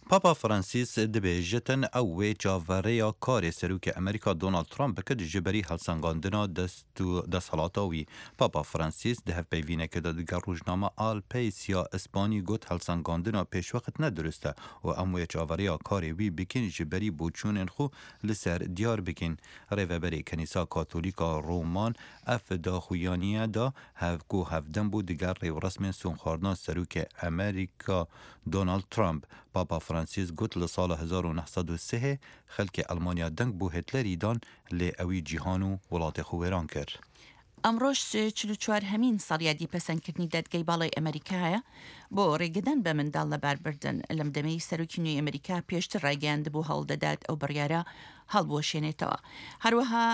پاپا فرانسیس دبێژتن ئەو وێ چاڤەڕێیا کارێ سەرۆکێ ئەمریکا دۆناڵد ترامپ بکت ژ بەری هەڵسەنگاندنا دەست و دەسهەڵاتا وی. پاپا فرانسیس di hevpeyvînekê de digel rojnama Al País ya Îspanî got helsengandina pêşwext ne dirust e û em wê çaverêya karê wî bikîn ji berî boçûnên xwe li ser diyar bikîn. Rêveberê Kenîsa Katolîk a Roman ev daxuyaniye da hev ku hevdem bû digel rêwresmên sûnxwarina Serokê Amerîka Donald Trump. Papa Francis got li sala 1903 xelkê Elmanya deng bo Hitlerî dan lê ewî cîhan û welatê xwe wêran kir. ئەمڕۆش 44 هەمین ساڵیادی پەسەندکردنی دادگای باڵای ئەمەریکایە بۆ ڕێگەدان بە منداڵ لەباربردن، لەم دەمەی سەرۆکی نوێی ئەمەریکا پێشتر ڕایگەیاندبوو هەوڵدەدات ئەو بڕیارە هەڵبوەشێنێتەوە. هەروەها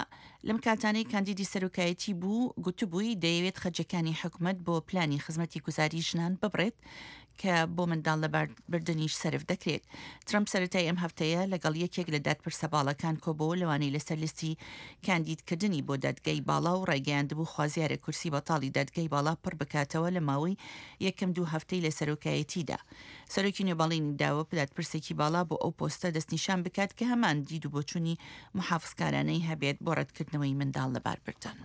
لەم کاتانەی کاندیدی سەرۆکایەتی بوو گوتبووی دەیەوێت خەرجەکانی حکومەت بۆ پلانی خزمەتی گوزاری ژنان ببڕێت کە بۆ منداڵ لەباربردنیش سەرف دەکرێت. ترەمپ سەرەتای ئەم هەفتەیە لەگەڵ یەکێک لە دادپرسە باڵاکان کۆبۆوە لەوانەی لەسەر لیستی کاندیدکردنی بۆ دادگای باڵا و ڕایگەیاندبوو خوازیارە کورسی بەتاڵی دادگای باڵا پڕ بکاتەوە لە ماوەی یەکەم دوو هەفتەی لە سەرۆکایەتیدا. سەرۆکی نوێ بەڵێنی داوە دادپرسێکی باڵا بۆ ئەو پۆستە دەستنیشان بکات کە هەمان دید و بۆچوونی موحافزکارانەی هەبێت بۆ ڕەتکردنەوەی منداڵ لەباربردن.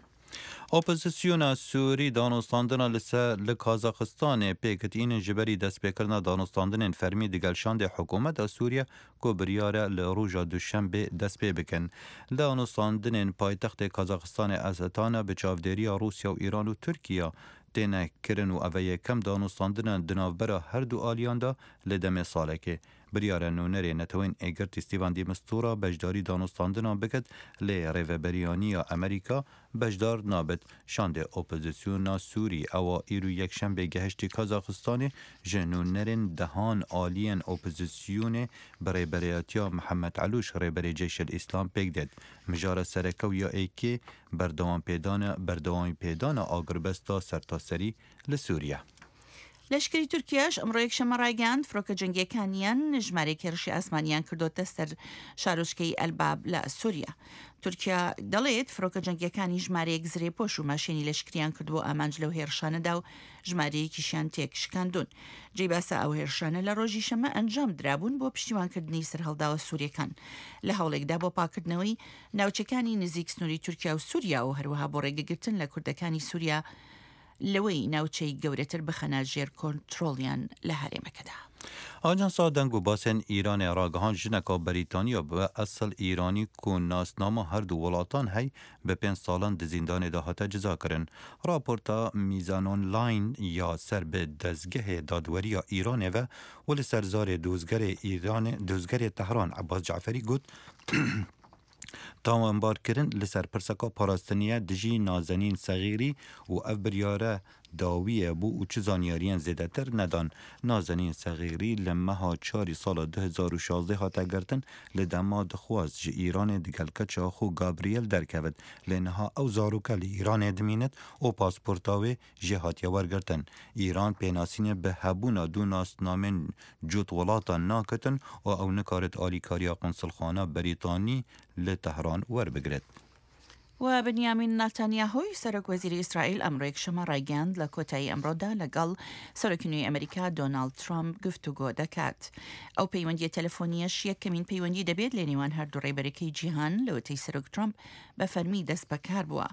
Opozîsyona Sûrî danûstandina li ser li Kazaxistanê pêk tînin ji berî destpêkirina danûstandinên fermî digel şandê hikûmeta Sûriye ku biryar e li roja Duşembê dest pê bikin. Danûstandinên paytextê Kazaxistanê Astana bi çavdêriya Rûsya û Îran û Tirkiye têne kirin û ev e yekem danûstandina di navbera her du aliyan de li demê salekê. Biryar e nûnerê Neteweyên Êgirtî Stîvan de Mistura beşdarî danûstandinan biket lê rêveberiyaniya Amerîka beşdar nabit. Şandê opozîsyona Sûrî ewa îro Yekşembê gehiştî Kazaxistanê ji nûnerên dehan aliyên opozîsyonê bi rêberiyatiya Mihemed Elûş rêberê Ceyş El Îslam pêk dêt. Mijara sereke û ya êkê berdewam-pêdana berdewamîpêdana agirbesta sertaserî li Sûriye. لەشکری تورکیاش ئەمڕۆ یەکشەممە ڕایگەیاند، فڕۆکە جەنگییەکانیان ژمارەیەک هێرشی ئاسمانیان کردۆتە سەر شارۆچکەی ئەلباب لە سوریا. تورکیا دەڵێت، فڕۆکە جەنگییەکانی ژمارەیەک زرێپۆش و ماشێنی لەشکریان کردبوو ئامانج لەو هێرشانەدا و ژمارەیەکیشیان تێکشکاندوون. جێی باسە ئەو هێرشانە لە ڕۆژی شەممە ئەنجام درابوون بۆ پشتیوانکردنی سەرهەڵداوە سورییەکان لە هەوڵێکدا بۆ پاککردنەوەی ناوچەکانی نزیک سنووری تورکیا و سوریا و هەروەها بۆ ڕێگەگرتن لە کوردەکانی سوریا لەوەی ناوچەی گەورەتر بخەنە ژێر کۆنترۆڵیان لە هەرێمەکەدا. ئاژانسا دەنگ و باسێن ئیرانێ راگەهاند ژنەکا بەریتانیا بە ئەسڵ ئیرانی کو ناسنامە هەردوو وڵاتان هەی بە پێنج ساڵان di زیندانێ دا هاتە جزا کرن. راپۆرتا میزانۆنلاین یا سەر bi دەزگەهێ دادوەرییا ئیرانێ ve و li ser zarê dozgerê ئیرانێ dozgerê Tehran Ebas Caferî got Tawanbarkirin li ser pirseka parastiniye dijî Nazenîn Sexîrî û ev biryare dawiyê bû û çi zanyariyên zêdetir nedan. Nazenîn Sexîrî li meha çarî sala 2016 hate girtin li dema dixwast ji Îranê digel keça xwe Gabriel derkevit lê niha ew zaroke li Îranê dimînit û pasporta wê jê hatiye wergirtin. Îran pênasînê bi hebûna du nasnamên cot welatan nakitin û ew nikarit alîkariya Konsulxana Berîtanî li Tehran werbigirit. و بنیامین ناتانیاهۆی سەرۆک وەزیری ئیسرائیل ئەمڕۆ یەکشەممە ڕایگەیاند لە کۆتایی ئەمڕۆدا لەگەڵ سەرۆکی نوێی ئەمریکا دۆناڵد ترامپ گفتوگۆ دەکات. ئەو پەیوەندییە تەلەفۆنییەش یەکەمین پەیوەندی دەبێت لە نێوان هەردوو ڕێبەرەکەی جیهان لەوەتەی سەرۆک ترامپ بە فەرمی دەستبەکار بووە.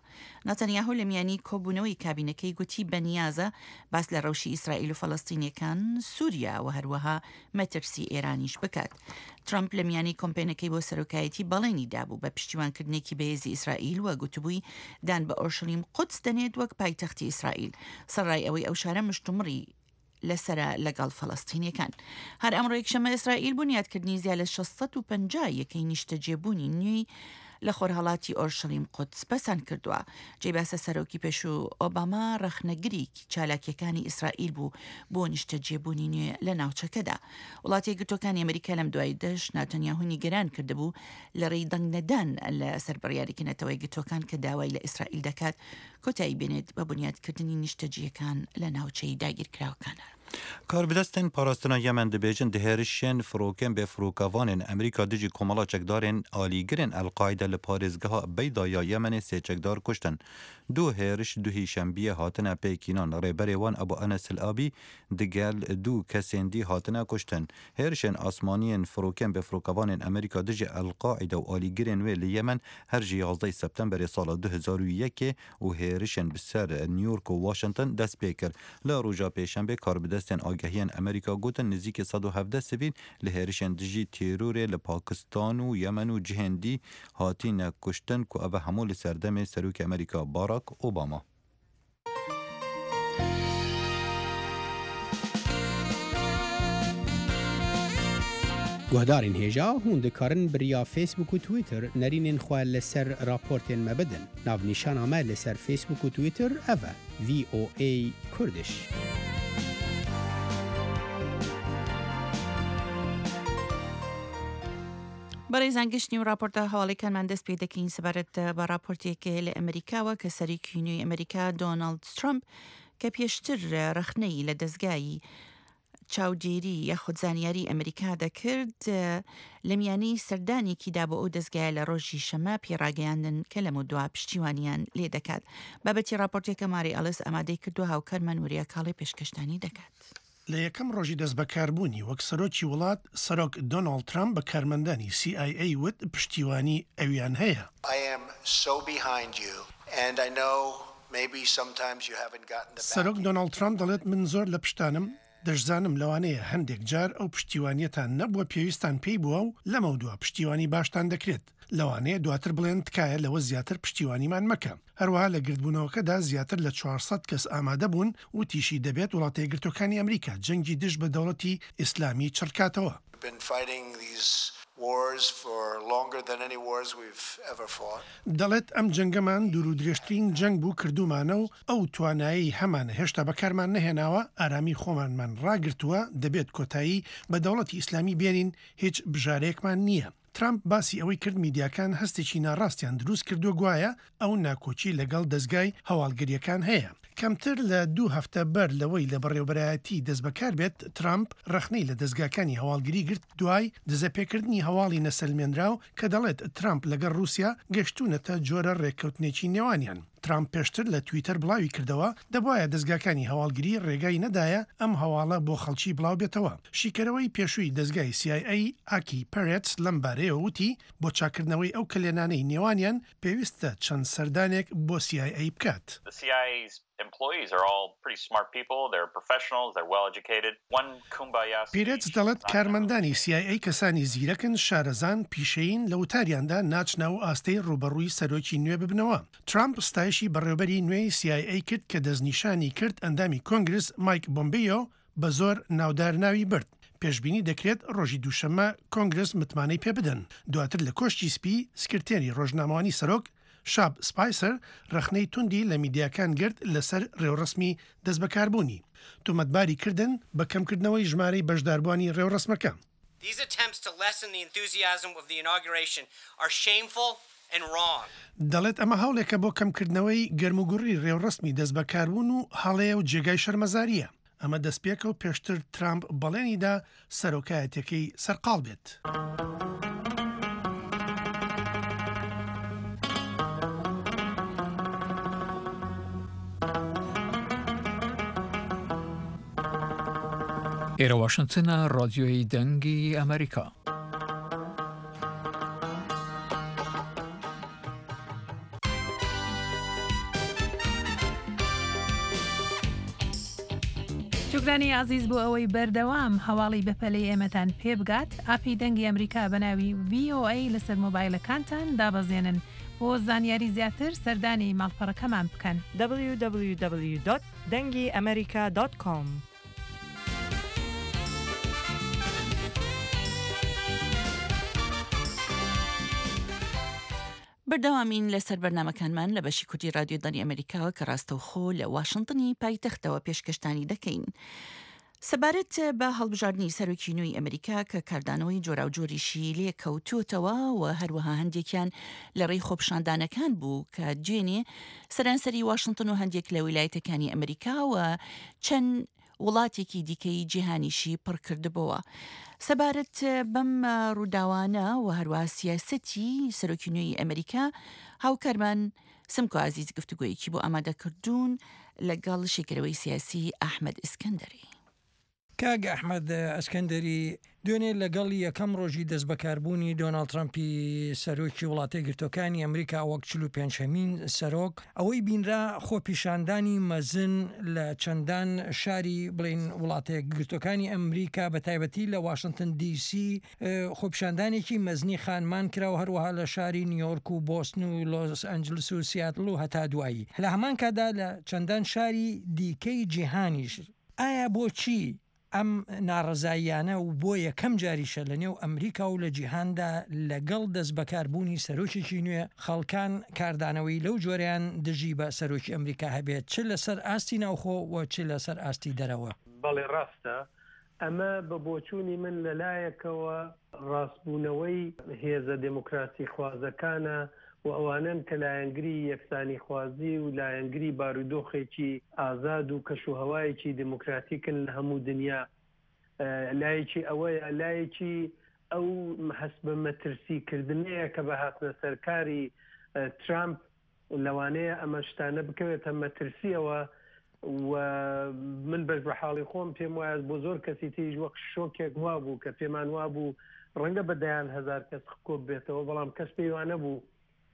ناتانیاهۆ لە میانی کۆبوونەوەی کابینەکەی گوتی بەنیازە باس لە ڕەوشی ئیسرائیل و فەلەستینیەکان، سوریا و هەروەها مەترسی ئێرانیش بکات. ترەمپ لە میانی کۆمپێنەکەی بۆ سەرۆکایەتی بەڵێنی دابوو بە پشتیوانکردنێکی بەهێزی ئیسرائیل و گوتبووی دان بە ئۆرشەلیم قودس دەنێت وەک پایتەختی ئیسرائیل، سەرەڕای ئەوەی ئەو شارە مشتومڕی لەسەرە لەگەڵ فەلەستینیەکان. هەر ئەمڕۆ یەکشەممە ئیسرائیل بونیادکردنی زیاد لە 650 یەکەی نیشتەجێبوونی نوێی لە خۆرهەڵاتی ئۆرشەلیم قودس پەسەند کردووە. جێی باسە سەرۆکی پێشوو ئۆباما ڕەخنەگری چالاکیەکانی ئیسرائیل بوو بۆ نیشتەجێبوونی نوێ لە ناوچەکەدا. وڵاتە یەکگرتووەکانی ئەمریکا لەم دواییدەش ناتەنیاهۆی نیگەران کردبوو لە ڕێی دەنگ نەدان لەسەر بڕیارێکی نەتەوە یەکگرتووەکان کە داوای لە ئیسرائیل دەکات کۆتایی بێنێت بە بونیادکردنی نیشتەجییەکان لە ناوچەی داگیرکراوەکان. Karbidestên parastina Yemen dibêjin di hêrişên firokên bêfirokevanên Amerîka dijî komela çekdarên alîgirên El Qaîde li parêzgeha Beyda ya Yemenê sê çekdar kuştin. Du hêriş duhî şembiyê hatine pêkînan, rêberê wan Ebu Enes El Abî digel du kesên dî hatine kuştin. Hêrişên asmaniyên firokên bêfirokevanên Amerîka dijî El Qaîde û alîgirên wê li Yemen her ji yazdeh Septemberê sala 2001 ê û hêrişên bi ser New York û Washington dest pê kir. Li roja pêşembê karbidestên agehiyên Amerîka gotin nêzîkî 117 sivîl li hêrişên dijî terorê li Pakistan û Yemen û cihên dî hatine kuştin ku ev hemû li serdemê Serokê Amerîka Barack Obama. Guhdarên hêja hûn dikarin bi riya Facebook û Twitter nerînên xwe li ser raportên me bidin. Navnîşana me li ser Facebook û Twitter ev e, VOA Kurdish. بەڕێزان گشتنی و راپۆرتە هەواڵیکانمان دەست پێ دەکەین سەبارەت بە راپۆرتێک لە ئەمریکاوە کە سەرۆکی نوێی ئەمریکا دۆناڵد ترەمپ کە پێشتر رەخنەی لە دەزگای چاودێری یاخود زانیاری ئەمریکا دەکرد لە میانەی سەردانێکیدا بۆ ئەو دەزگایە لە ڕۆژی شەمە پێڕاگەیاندن کە لەمەودوا پشتیوانیان لێ دەکات. بابەتی ڕاپۆرتێکە ماری ئەڵس ئامادەی کردووە هاوکارمان وریا کاڵێ پێشکەشتانی دەکات. لە یەکەم ڕۆژی دەستبەکاربوونی وەک سەرۆکی وڵات، سەرۆک دۆناڵد ترەمپ بە کارمەندانی سی ئای ئەی وت پشتیوانی ئەویان هەیە. سەرۆک دۆناڵد ترەمپ دەڵێت من زۆر لە پشتتانم، دەشزانم لەوانەیە هەندێک جار ئەو پشتیوانیەتان نەبووە پێویستتان پێی بووە و لەمەودوا پشتیوانی باشتان دەکرێت. لەوانەیە دواتر بڵێن تکایە لەوە زیاتر پشتیوانیمان مەکە. هەروەها لە گردبوونەوەکەدا زیاتر لە 400 کەس ئامادە بوون، وتیشی دەبێت وڵاتەیەکگرتووەکانی ئەمریکا جەنگی دژ بە دەوڵەتی ئیسلامی چڕکاتەوە. دەڵێت ئەم جەنگەمان دوورودرێژترین جەنگ بوو کردوومانە و ئەو توانایەی هەمانە هێشتا بەکارمان نەهێناوە، ئارامی خۆمانمان ڕاگرتووە، دەبێت کۆتایی بە دەوڵەتی ئیسلامی بێنین، هیچ بژارەیەکمان نییە. ترامپ باسی ئەوەی کرد میدیاکان هەستێکی ناڕاستیان دروست کردووە گوایە ئەو ناکۆکی لەگەڵ دەزگای هەواڵگرییەکان هەیە. کەمتر لە دوو هەفتە بەر لەوەی لە بەڕێوەبەرایەتی دەستبەکار بێت، ترامپ ڕەخنەی لە دەزگاکانی هەواڵگری گرت دوای دزەپێکردنی هەواڵی نەسەلمێنراو کە دەڵێت ترامپ لەگەڵ ڕووسیا گەشتوونەتە جۆرە ڕێککەوتنێکی نێوانیان. ترامپ پێشتر لە تویتەر بڵاوی کردەوە، دەبوایە دەزگاکانی هەواڵگری ڕێگای نەدایە ئەم هەواڵە بۆ خەڵکی بڵاوبێتەوە. شیکەرەوەی پێشووی دەزگای سی ئای ئەی ئاکی پەرێتس لەم بارەیەوە وتی، بۆ چاککردنەوەی ئەو کەلێنانەی نێوانیان پێویستە چەند سەردانێک بۆ سی ئای ئەی بکات. پیرێتس دەڵێت کارمەندانی سی ئای ئەی کەسانی زیرەکن، شارەزان، پیشەیین، لە وتاریاندا ناچنە ئەو ئاستەی ڕووبەڕووی سەرۆکی نوێ ببنەوە. ترامپ ستایشی بەڕێوبەری نوێی سی ئای ئەی کرد کە دەستنیشانی کرد ئەندامی کۆنگرس مایک بۆمبیۆ بە زۆر ناودار ناوی برد. پێشبینی دەکرێت ڕۆژی دووشەممە کۆنگرس متمانەی پێبدەن. دواتر لە کۆشکی سپی سکرتێری ڕۆژنامەوانی سەرۆک شاب سپایسەر ڕەخنەی توندی لە میدیاکان گرت لەسەر ڕێوڕەسمی دەستبەکاربوونی. تۆمەتباری کردن بە کەمکردنەوەی ژمارەی بەشداربووانی ڕێوڕەسمەکە. These attempts to lessen the enthusiasm of the inauguration are shameful and wrong. دەڵێت ئەمە هەوڵێکە بۆ کەمکردنەوەی گەرموگوڕی ڕێوڕەسمی دەستبەکاربوون و هەڵەیە و جێگای شەرمەزارییە. ئەمە دەستپێکە و پێشتر ترامپ بەڵێنی دا سەرۆکایەتیەکەی سەرقاڵ بێت. ئێرە واشنتنە، ڕادیۆی دەنگی ئەمریکا. شوکرانی ئازیز بۆ ئەوەی بەردەوام هەواڵی بەپەلەی ئێمەتان پێ بگات، ئاپی دەنگی ئەمریکا بە ناوی VOA لەسەر مۆبایلەکانتان دابەزێنن. بۆ زانیاری زیاتر سەردانی ماڵپەڕەکەمان بکەن. www. دەنگی ئەمریکا دۆت کۆم. بەردەوامین لەسەر بەرنامەکانمان لە بەشی کوردی رادیۆ دەنگی ئەمەریکاوە کە ڕاستەوخۆ لە واشنتنی پایتەختەوە پێشکەشتانی دەکەین. سەبارەت بە هەڵبژاردنی سەرۆکی نوێی ئەمریکا کە کاردانەوەی جۆراوجۆریشی لێ کەوتووەتەوە و هەروەها هەندێکیان لە ڕێی خۆپیشاندانەکان بوو کە دوێنێ سەرانسەری واشنتن و هەندێک لە ویلایەتەکانی ئەمریکا و چەند. وڵاتێکی دیکەی جیهانیشی پڕکردبۆوە. سەبارەت بەم ڕووداوانە و هەروەها سیاسەتی سەرۆکی نوێی ئەمریکا، هاوکارمان سمکۆ عەزیز گفتوگۆیەکی بۆ ئامادەکردوون لەگەڵ شیکەرەوەی سیاسی ئەحمەد ئیسکەندەری. کاک ئەحمەد ئەسکەندەری، دوێنێ لەگەڵ یەکەم ڕۆژی دەستبەکاربوونی دۆناڵد ترەمپی سەرۆکی وڵاتەیەکگرتووەکانی ئەمریکا وەک 45 هەمین سەرۆک، ئەوەی بینرا خۆپیشاندانی مەزن لە چەندان شاری بڵێین وڵاتەیەکگرتووەکانی ئەمریکا بە تایبەتی لە واشنتن دی سی خۆپیشاندانێکی مەزنی خانمان کرا و هەروەها لە شاری نیویۆرک و بۆستن و لۆس ئەنجلس و سیاتل و هەتا دوایی لە هەمان کاتدا لە چەندان شاری دیکەی جیهانیش ئایا بۆچی ئەم ناڕەزاییانە و بۆ یەکەم جاریشە لە نێو ئەمریکا و لە جیهاندا لەگەڵ دەستبەکاربوونی سەرۆکێکی نوێ خەڵکان کاردانەوەی لەو جۆرەیان دژی بە سەرۆکی ئەمریکا هەبێت چ لەسەر ئاستی ناوخۆ و چ لەسەر ئاستی دەرەوە؟ بەڵێ ڕاستە، ئەمە بە بۆچوونی من لە لایەکەوە ڕاستبوونەوەی هێزە دێموکراسیخوازەکانە و ئەوانەن کە لایەنگری یەکسانیخوازی و لایەنگری بارودۆخێکی ئازاد و کەشوهەوایەکی دێموکراتیکن لە هەموو دنیا. لایەکی ئەوەیە، لایەکی ئەو هەست بە مەترسی کردنەیە کە بە هاتنە سەرکاری ترامپ لەوانەیە ئەمە شتانە بکەوێتە مەترسیەوە و من بەش بە حاڵی خۆم پێم وایە بۆ زۆر کەسی تریش وەک شۆکێک وابوو کە پێمان وابوو ڕەنگە بە دەیان هەزار کەس کۆب بێتەوە بەڵام کەس پێی وانەبوو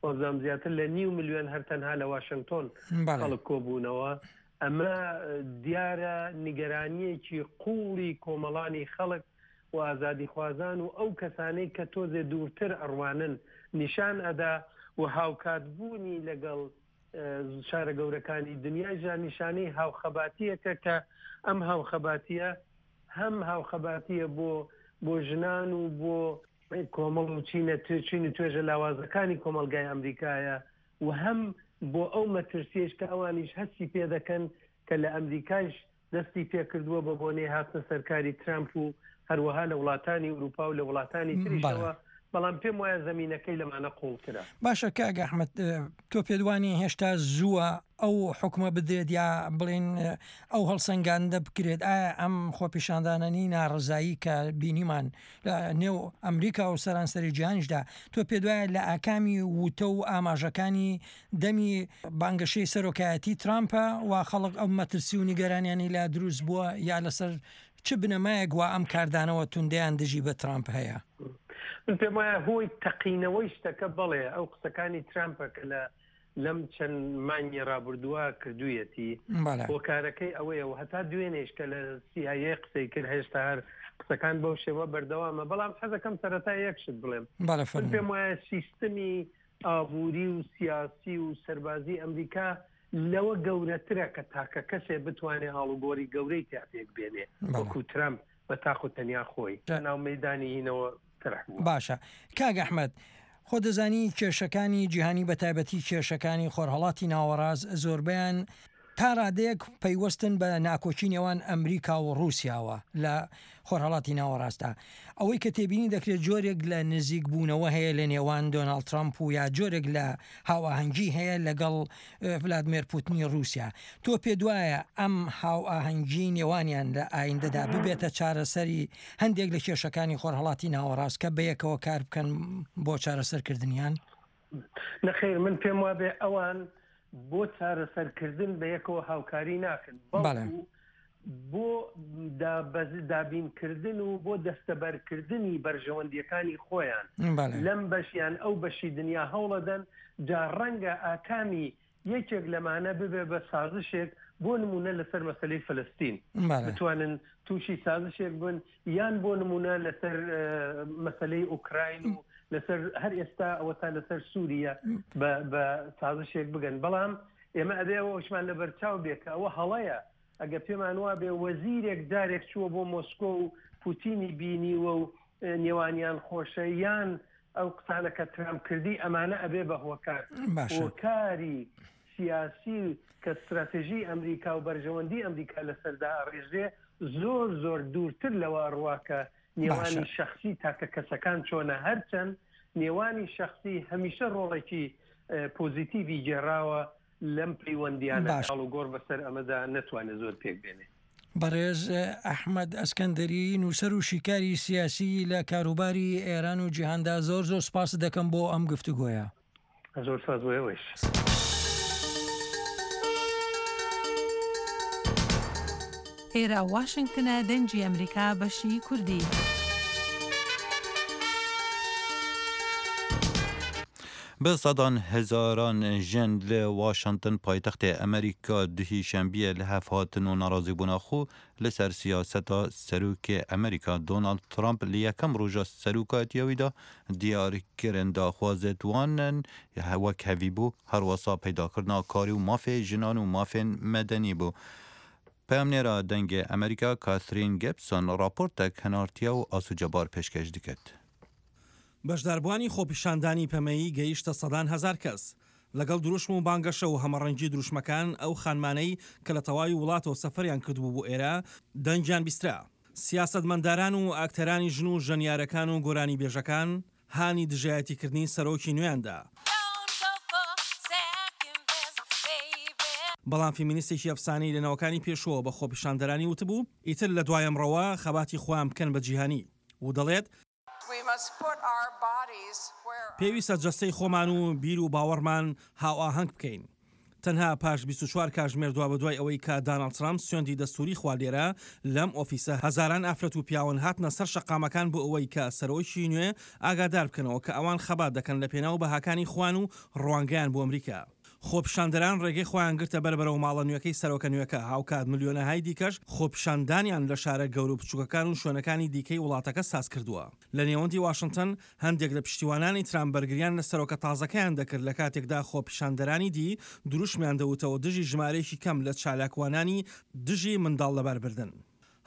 وابزانم زیاتر لە نیو ملیۆن هەر تەنها لە واشنگتۆن خەڵک کۆبوونەوە ئەمە دیارە نیگەرانیەکی قوڵی کۆمەڵانی خەڵک و ئازادیخوازان و ئەو کەسانەی کە تۆزێ دوورتر ئەڕوانن نیشان ئەدا و هاوکات بوونی لەگەڵ شارە گەورەکانی دنیایشدا نیشانەی هاوخەباتیەکە کە ئەم هاوخەباتیە هەم هاوخەباتیە بۆ بۆ ژنان و بۆ کۆمەڵ و چینە چین و توێژە لاوازەکانی کۆمەڵگای ئەمریکایە و هەم بۆ ئەو مەترسیەش کە ئەوانیش هەستی پێدەکەن کە لە ئەمریکایش دەستی پێکردووە بە بۆنەی هاتنە سەرکاری ترامپ و هەروەها لە وڵاتانی ئوروپا و لە وڵاتانی تریشەوە، بەڵام پێم وایە زەمینەکەی لەمانە قووڵترە. باشە کاک ئەحمەد تۆ پێت وانیە هێشتا زووە ئەو حوکمە بدرێت یا بڵێین ئەو هەڵسەنگاندە بکرێت ئایا ئەم خۆپیشاندانەنی ناڕەزایی کە بینیمان لە نێو ئەمریکا و سەرانسەری جیهانیشدا تۆ پێت وایە لە ئاکامی وتە و ئاماژەکانی دەمی بانگەشەی سەرۆکایەتی ترامپە وا خەڵک ئەو مەترسی و نیگەرانیانی لا دروست بووە یا لەسەر چ بنەمایەک وا ئەم کاردانەوە توندەیان دژی بە ترامپ هەیە؟ من پێم وایە هۆی تەقینەوەی شتەکە بەڵێ ئەو قسەکانی ترامپە کە لە لەم چەند مانگی ڕابردووە کردوویەتی هۆکارەکەی ئەوەیە و هەتا دوێنێش کە لە CIA قسەی کرد هێشتا هەر قسەکان بەو شێوە بەردەوامە بەڵام حەزەکەم سەرەتا یەک شت بڵێم من پێم وایە سیستمی ئابووری و سیاسی و سەربازی ئەمریکا لەوە گەورەترە کە تاکە کەسێ بتوانێ ئاڵوگۆری گەورەی تیا پێک بێنێ وەکوو ترەمپ بە تاق و تەنیا خۆی لە ناو مەیدانی هینەوە تەرح بووە. باشە کاک ئەحمەد خۆ دەزانی کێشەکانی جیهانی بە تایبەتی کێشەکانی خۆرهەڵاتی ناوەڕاست زۆربەیان تا ڕادەیەک پەیوەستن بە ناکۆکی نێوان ئەمریکا و ڕووسیاوە لە خۆرهەڵاتی ناوەڕاستدا. ئەوەی کە تێبینی دەکرێت جۆرێک لە نزیک بوونەوە هەیە لە نێوان دۆناڵد ترەمپ و یا جۆرێک لە هاوئاهەنگی هەیە لەگەڵ ڤلادمێر پوتنی ڕووسیا. تۆ پێتوایە ئەم هاوئاهەنگیەی نێوانیان لە ئایندەدا ببێتە چارەسەری هەندێک لە کێشەکانی خۆرهەڵاتی ناوەڕاست کە بەیەکەوە کار بکەن بۆ چارەسەرکردنیان؟ نەخێر من پێم وابێ ئەوان بۆ چارەسەرکردن بە یەکەوە هاوکاری ناکەن بەڵکو بۆ دابینکردن و بۆ دەستەبەرکردنی بەرژەوەندیەکانی خۆیان لەم بەشیان ئەو بەشی دنیا هەوڵەدەن جا ڕەنگە ئاکامی یەکێک لەمانە ببێ بە سازشێک بۆ نموونە لەسەر مەسەلەی فلستین بتوانن تووشی سازشێک بن یان بۆ نموونە لەسەر مەسەلەی ئوکراین و لەسەر هەر ئێستا ئەوەتا لەسەر سووریە بە سازشێک بگەن بەڵام ئێمە ئەبێ ئەوەشمان لەبەرچاو بێ کە ئەوە هەڵەیە ئەگەر پێمان وابێ وەزیرێک جارێک چووە بۆ مۆسکۆ و پوتینی بینیوە و نێوانیان خۆشە یان ئەو قسانە کە ترامپ کردی ئەمانە ئەبێ بە هۆکار هۆکاری سیاسی کە ستراتژی ئەمریکا و بەرژەوەندی ئەمریکا لەسەردا ئەڕێژرێ زۆر زۆر دوورتر لەوە ئەڕوا کە نێوانی شەخسی تاکە کەسەکان چۆنە هەرچەند نێوانی شەخسی هەمیشە ڕۆڵێکی پۆزیتیڤی گێڕاوە لەم پەیوەندیانە ئاڵوگۆڕ بەسەر ئەمەدا نەتوانێت زۆر پێک بێنێ. بەڕێز ئەحمەد ئەسکەندەری، نووسەر و شیکاری سیاسی لە کاروباری ئێران و جیهاندا زۆر زۆر سپاست دەکەم بۆ ئەم گفتوگۆیە. زۆر سپاس بۆ ئێوەیش. ئێرە واشنگتنە دەنگی ئەمریکا بەشی کوردی. بە سەدان هەزاران ژن لە واشنتن پایتەختێ ئەمریکا دوهی شەنبیە لە هەف هاتن و ناڕازیبوونا خو لە سەر سیاسەتا سەرۆکێ ئەمریکا دۆناڵد ترامپ لە یەکەم ڕۆژا سەرۆکایەتیا وی دا دیار کرن داخوازێت وان وەک هەڤی بوو هەروەسا پەیداکردنا کاری و مافێ ژنان و مافێن مەدەنی بوو. پەیامنێرا دەنگێ ئەمریکا کاثرین گێبسۆن ڕاپۆرتەک هەنارتیە و ئاسو جەبار پێشکەش دکرد. بەشداربووانی خۆپیشاندانی پەمەیی گەیشتە سەدان هەزار کەس. لەگەڵ دروشم و بانگەشە و هەمەڕەنگی دروشمەکان، ئەو خانمانەی کە لە تەواوی وڵاتەوە سەفەریان کردبوو بۆ ئێرە، دەنگیان بیسترا. سیاسەتمەنداران و ئاکتەرانی ژن و ژەنیارەکان و گۆرانیبێژەکان هانی دژایەتیکردنی سەرۆکی نوێیان دا. بەڵام فیمینیستێکی ئەفسانەیی لە نەوەکانی پێشووەوە بە خۆپیشاندەرانی وتبوو، ئیتر لە دوای ئەمڕۆوە خەباتی خۆیان بکەن بە جیهانی و دەڵێت، پێویستە جەستەی خۆمان و بیر و باوەڕمان هاوئاهەنگ بکەین. تەنها پاش 24 کاژمێر دوابەدوای ئەوەی کە داناڵد ترامپ سوێندی دەستووری خوارد لێرە لەم ئۆفیسە هەزاران ئافرەت و پیاون هاتنە سەر شەقامەکان بۆ ئەوەی کە سەرۆکی نوێ ئاگادار بکەنەوە کە ئەوان خەبات دەکەن لە پێناو بەهاکانی خۆیان و ڕوانگەیان بۆ ئەمریکا. خۆپیشاندەران ڕێگەی خۆیان گرتە بەر بەرەو ماڵە نوێکەی سەرۆکە نوێکە، هاوکات ملیۆنەهای دیکەش خۆپیشاندانیان لە شارە گەورە و بچووکەکان و شوێنەکانی دیکەی وڵاتەکە سازکردووە. لە نێوەندی واشنتن، هەندێک لە پشتیوانانی ترامپ بەرگریان لە سەرۆکە تازەکەیان دەکرد لە کاتێکدا خۆپیشاندەرانی دی دروشمیان دەوتەوە دژی ژمارەیەکی کەم لە چالاکوانانی دژی منداڵ لەباربردن.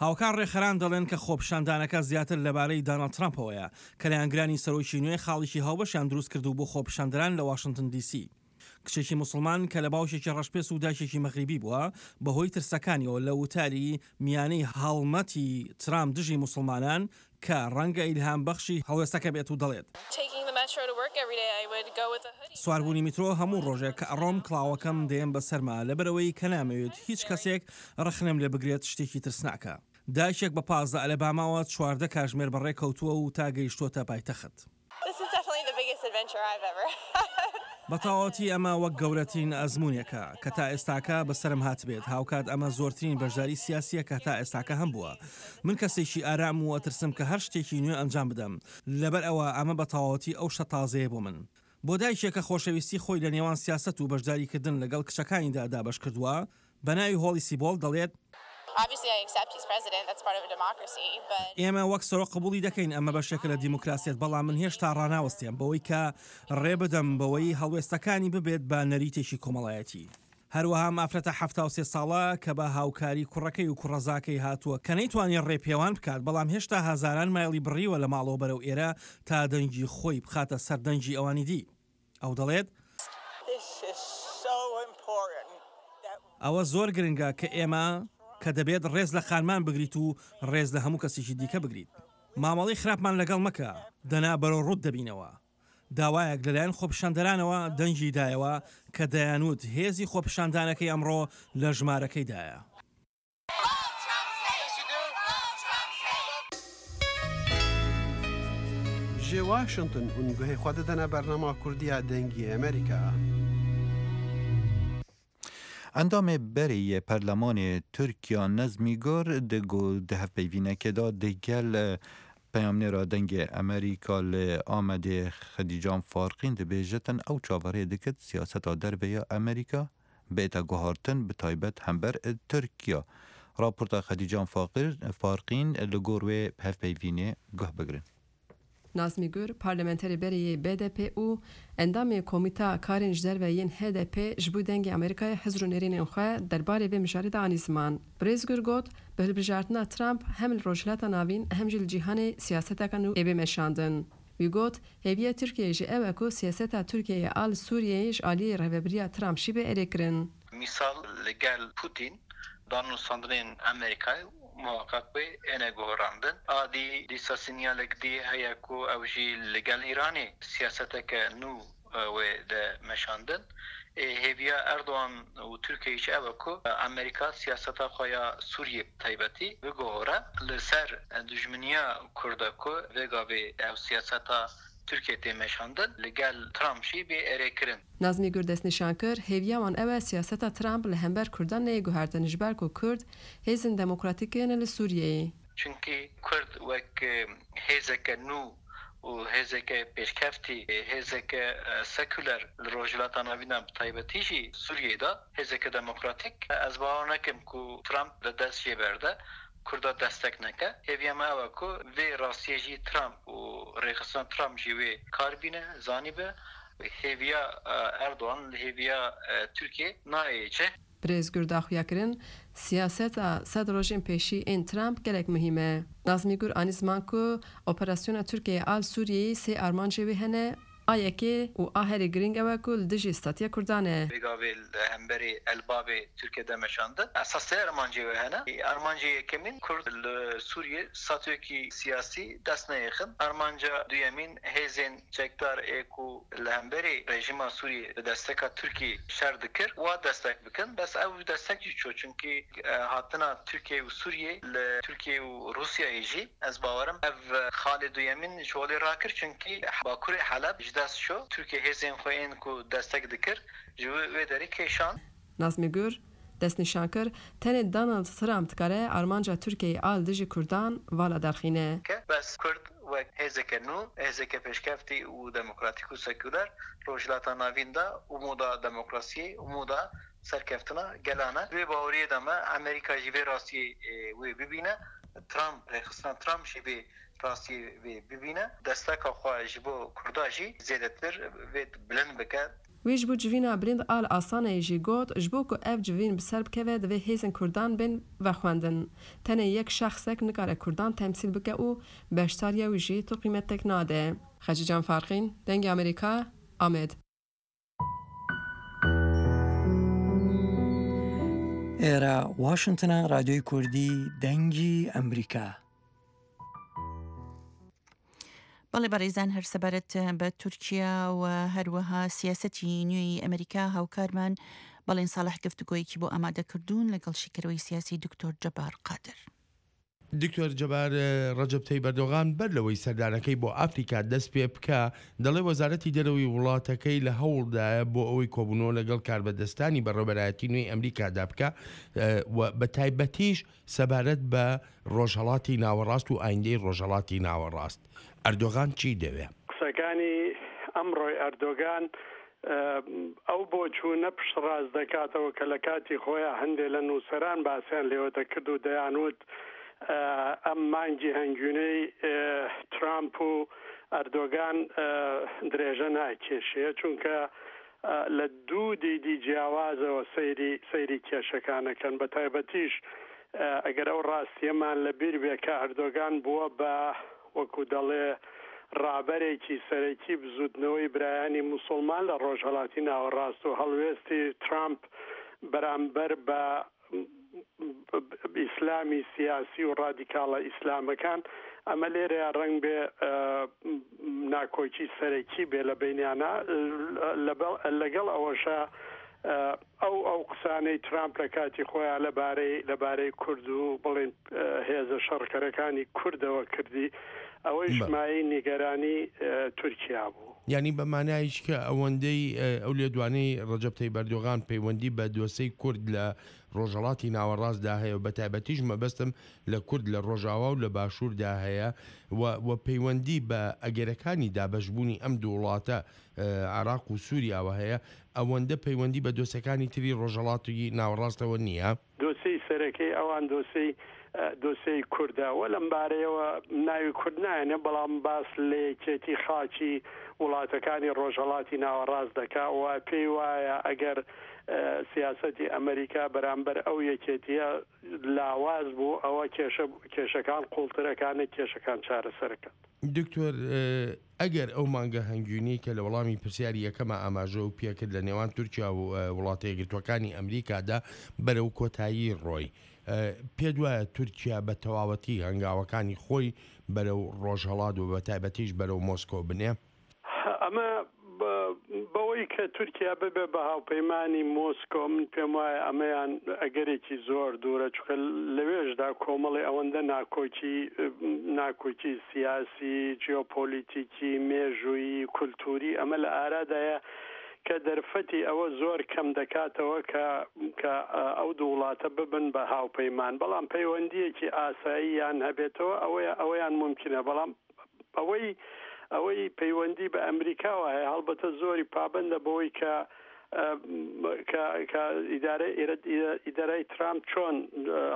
هاوکار ڕێکخەران دەڵێن کە خۆپیشاندانەکە زیاتر لەبارەی داناڵد ترامپەوەیە، کە لایەنگرانی سەرۆکی نوێ خاڵێکی هاوبەشیان دروست کردوو بۆ خۆپیشاندەران لە واشنتن دی سی. کچێکی موسڵمان کە لە باوکێکی ڕەشپێست و دایکێکی مەغریبی بووە، بەهۆی ترسەکانیەوە لە وتاری میانەی هەڵمەتی ترامپ دژی موسڵمانان کە ڕەنگە ئیلهام بەخشی هەڵوێستەکە بێت و دەڵێت، سواربوونی میترۆ هەموو ڕۆژێک کە ئەڕۆم کڵاوەکەم دێم بەسەرما لەبەرئەوەی کە نامەوێت هیچ کەسێک ڕەخنەم لێ بگرێت شتێکی ترسناکە. دایکێک بە 15 ئەلەباماوە 14 کاژمێر بەڕێ کەوتووە و تا گەیشتووەتە پایتەخت. بە تەواوەتی ئەمە وەک گەورەترین ئەزموونێکە کە تا ئێستاکە بەسەرم هاتبێت، هاوکات ئەمە زۆرترین بەشداری سیاسییە کە تا ئێستاکە هەمبووە. من کەسێکی ئارامم و ئەترسم کە هەر شتێکی نوێ ئەنجام بدەم، لەبەر ئەوە ئەمە بە تەواوەتی ئەو شتە تازەیە بۆ من. بۆ دایکێک کە خۆشەویستی خۆی لە نێوان سیاسەت و بەشداریکردن لەگەڵ کچەکانیدا دابەش کردووە، بە ناوی هۆڵی سیبۆڵد دەڵێت، ئێمە وەک سەرۆک قبوڵی دەکەین، ئەمە بەشێکە لە دیموکراسیەت، بەڵام من هێشتا ڕاناوەستێم بەوەی کە ڕێ بدەم بەوەی هەڵوێستەکانی ببێت بە نەریتێکی کۆمەڵایەتی. هەروەها ئەم ئافرەتە 73 ساڵە کە بە هاوکاری کوڕەکەی و کوڕەزاکەی هاتووە کە نەیتوانی ڕێپێوان بکات، بەڵام هێشتا هەزاران مایڵی بڕیوە لە ماڵەوە بەرەو ئێرە تا دەنگی خۆی بخاتە سەر دەنگی ئەوانی دی. ئەو دەڵێت، ئەوە زۆر گرنگە کە ئێمە کە دەبێت ڕێز لە خانمان بگریت و ڕێز لە هەموو کەسێکی دیکە بگریت. مامەڵەی خراپمان لەگەڵ مەکە، دەنا بەرەو ڕووت دەبینەوە. داوایەک لەلایەن خۆپیشاندەرانەوە دەنگی دایەوە کە دەیانوت هێزی خۆپیشاندانەکەی ئەمڕۆ لە ژمارەکەیدایە. Ji Washington hûn guhê xwe didine bernama Kurdî ya Dengê Amerîka. Endamê berê yê Perlemanê Tirkiya Nezmî Gur di di hevpeyvînekê de di gel peyamnêra Dengê Amerîka li Amedê Xedîcan Farqîn dibêjitin ew çaverê dikit siyaseta derve ya Amerîka bête guhartin bi taybet hember Tirkiya. Raporta Xedîcan Farqîn li gor wê hevpeyvînê guh bigirin. Nazmî Gur, parlamenterê berê yê BDP û endamê Komîta Karên ji Derve yên HDP ji bo Dengê Amerîkayê hizr û nêrînên xwe derbarê vê mijarê de anî ziman. Birêz Gur got, Bi hilbijartina Trump hem li Rojhilata Navîn hem jî li cîhanê siyaseteke nû ê bê meşandin. Wî got, Hêviya Tirkiyeyê jî ew e ku siyaseta Tirkiyeyê a li Sûriyeyê ji aliyê rêvebiriya Trump jî bê erêkirin. Mîsal li gel Pûtîn danûstandinên Amerîkayê muheqeq wê êne guherandin. A dî dîsa sinyalek dî heye ku ew jî li gel Îranê siyaseteke nû wê de meşandin. Hêviya Erdogan û Tirkiyeyê jî ew e ku Amerîka siyaseta xwe ya Sûriyê bi taybetî biguhore li ser dijminiya Kurd e ku vê gavê ew siyaseta Tirkiyeyê tê meşandin li gel Trump jî bê erêkirin. Nazmî Gur destnîşan kir, hêviya wan ew e siyaseta Trump li hember Kurdan neyê guhertin ji ber ku Kurd hêzên demokratîk in li Sûriyeyê. Çunkî Kurd wek hêzeke nû û hêzeke pêşkeftî, hêzeke sekuler li Rojhilata Navîn de bi taybetî jî Sûriyeyê de hêzeke demokratîk. Ez bawer nakim ku Trump li dest jê berde, Kurda destek neke. Hêviya me ew e ku vê rastiyê jî Trump û rêxistina Trump jî wê kar bîne, zanîbe. Hêviya Erdogan li hêviya Tirkiyê nayê cih. Birêz Gur da xuyakirin, siyaseta sed rojên pêşî ên Trump gelek muhîm e. Nazmî Gur anî ziman ku operasyona Tirkiyeyê a li Sûriyeyê sê armancê wê hene, a yekê û a herî girîng ew e ku li dijî statiya Kurdan e. Vê gavê li hemberî El Babê Tirkiye de meşandin. Esas sê armancê wê hene. Armancê yekemîn Kurd li Sûriyê statuyekî siyasî dest neyêxin. Armanca duyemîn hêzên Çekdar ê ku li hemberî rejîma Sûriyê bi desteka Tirkiyê şer dikir wa destek bikin. Bes ew destek jî çû çunkî hatina Tirkiyê û Sûriyê li Tirkiyê û Rûsyayê jî ez bawerim ev xalê duyemîn ji holê rakir çunkî bakurê Heleb ji dest çû. Tirkiyê hêzên xwe ên ku destek dikir ji wê derê kêşand. Nazmî Gur, destnîşan kir, tenê Donald Trump dikare armanca Tirkiyeyê a li dijî Kurdan vala derxîne. Bes Kurd wek hêzeke nû, hêzeke pêşkeftî û demokratîk û sekuler Rojhilata Navîn de û moda demokrasiyê û moda serkeftina gelan e. Di vê baweriyê de me Amerîka jî vê rastiyê wê bibîne, Trump, rêxistina Trump jî vê rastiyê wê bibîne, desteka xwe ji bo Kurda jî zêdetir vê bilind bike. Wî ji bo civîna bilind a li Astanayê jî got, ji bo ku ev civîn bi ser bikeve divê hêzên Kurdan bên vexwendin. Tenê yek şexsek nikare Kurdan temsîl bike û beşdariya wî jî tu qîmetek nade. Xecîcan Farqîn, Dengê Amerîka, Amed. ئێرە واشنتنە رادیۆی کوردی دەنگی ئەمریکا. بەڵێ بەڕێزان هەر سەبارەت بە تورکیا و هەروەها سیاسەتی نوێی ئەمریکا هاوکارمان بەڵێن ساڵح گفتوگۆیەکی بۆ ئامادەکردوون لەگەڵ شیکەرەوەی سیاسی دکتۆر جەبار قادر. دکتۆر جەبار، ڕەجەب تەیب ئەردۆغان بەر لەوەی سەردانەکەی بۆ ئافریکا دەست پێ بکا، دەڵێ وەزارەتی دەرەوەی وڵاتەکەی لە هەوڵدایە بۆ ئەوەی کۆبوونەوە لەگەڵ کاربەدەستانی بەڕێوەبەرایەتی نوێی ئەمریکادا بکا و بەتایبەتیش سەبارەت بە ڕۆژهەڵاتی ناوەڕاست و ئایندەی ڕۆژهەڵاتی ناوەڕاست، ئەردۆغان چی دەوێ؟ قسەکانی ئەمڕۆی ئەردۆگان ئەو بۆچوونە پشتڕاست دەکاتەوە کە لە کاتی خۆیا هەندێ لە نووسەران باسیان لێوە دەکرد و دەیانوت ئەم مانگی هەنگوینەی ترامپ و ئەردۆگان درێژە ناکێشێ چونکە لە دوو دیدی جیاوازەوە سەیری سەیری کێشەکان ئەکەن بە تایبەتیش ئەگەر ئەو ڕاستیەمان لە بیر بێ کە ئەردۆگان بووە بە وەکو دەڵێ ڕابەرێکی سەرەکی بزوتنەوەی برایانی موسوڵمان لە ڕۆژهەڵاتی ناوەڕاست و هەڵوێستی ترامپ بەرامبەر بە ئیسلامی سیاسی و ڕادیکاڵە ئیسلامەکان، ئەمە لێرەیا ڕەنگ بێ ناکۆکی سەرەکی بێ لە بەینیانا، لەگەڵ ئەوەشا ئەو ئەو قسانەی ترامپ لە کاتی خۆیا لەبارەی لەبارەی کورد و بڵێن هێزە شەڕکەرەکانی کوردەوە کردی، ئەوەیش مایەی نیگەرانی تورکیا بوو. یانی بە مانایش کە ئەوەندەی ئەو لێدوانەی ڕەجەب تەیب ئەردۆغان پەیوەندی بە دۆسێی کورد لە ڕۆژهەڵاتی ناوەڕاستدا هەیە و بە تایبەتیش مەبەستم لە کورد لە ڕۆژاوا و لە باشووردا هەیە و و پەیوەندی بە ئەگەرەکانی دابەشبوونی ئەم دوو وڵاتە عێراق و سووریاوە هەیە ئەوەندە پەیوەندی بە دۆسێکانی تری ڕۆژهەڵاتی ناوەڕاستەوە نییە؟ دۆسێی سەرەکەی ئەوان دۆسێی دۆسێی کوردە و لەم بارەیەوە ناوی کورد نایەنێ بەڵام باس لە یەکێتی خاکی وڵاتەکانی ڕۆژهەڵاتی ناوەڕاست دەکا و پێی وایە ئەگەر سیاسەتی ئەمریکا بەرامبەر ئەو یەکێتیە لاواز بوو ئەوە کێشە کێشەکان قوڵترەکان نەک کێشەکان چارەسەرەکات. دکتۆر ئەگەر ئەو مانگە هەنگوینەی کە لە وەڵامی پرسیاری یەکەما ئاماژەو پێکرد لە نێوان تورکیا و وڵاتە یەکگرتووەکانی ئەمریکادا بەرەو کۆتایی ڕۆی، پێت وایە تورکیا بە تەواوەتی هەنگاوەکانی خۆی بەرەو ڕۆژهەڵات و بە تایبەتیش بەرەو مۆسکۆ بنێ؟ ئەمە بەوەی کە تورکیا ببێ بە هاوپەیمانی مۆسکۆ من پێم وایە ئەمەیان ئەگەرێکی زۆر دوورە چونکە لەوێشدا کۆمەڵی ئەوەندە ناکۆکی ناکۆکی سیاسی، جیۆپۆلیتیکی، مێژوویی، کولتووری ئەمە لە ئارادایە کە دەرفەتی ئەوە زۆر کەم دەکاتەوە کە کە ئەو دوو وڵاتە ببن بە هاوپەیمان بەڵام پەیوەندییەکی ئاساییان هەبێتەوە ئەوەیە ئەوەیان مومکینە بەڵام ئەوەی ئەوەی پەیوەندی بە ئەمریکاوە هەیە هەڵبەتە زۆری پابەندە بەوەی کە کە کە ئیدارەی ئیدارای ترامپ چۆن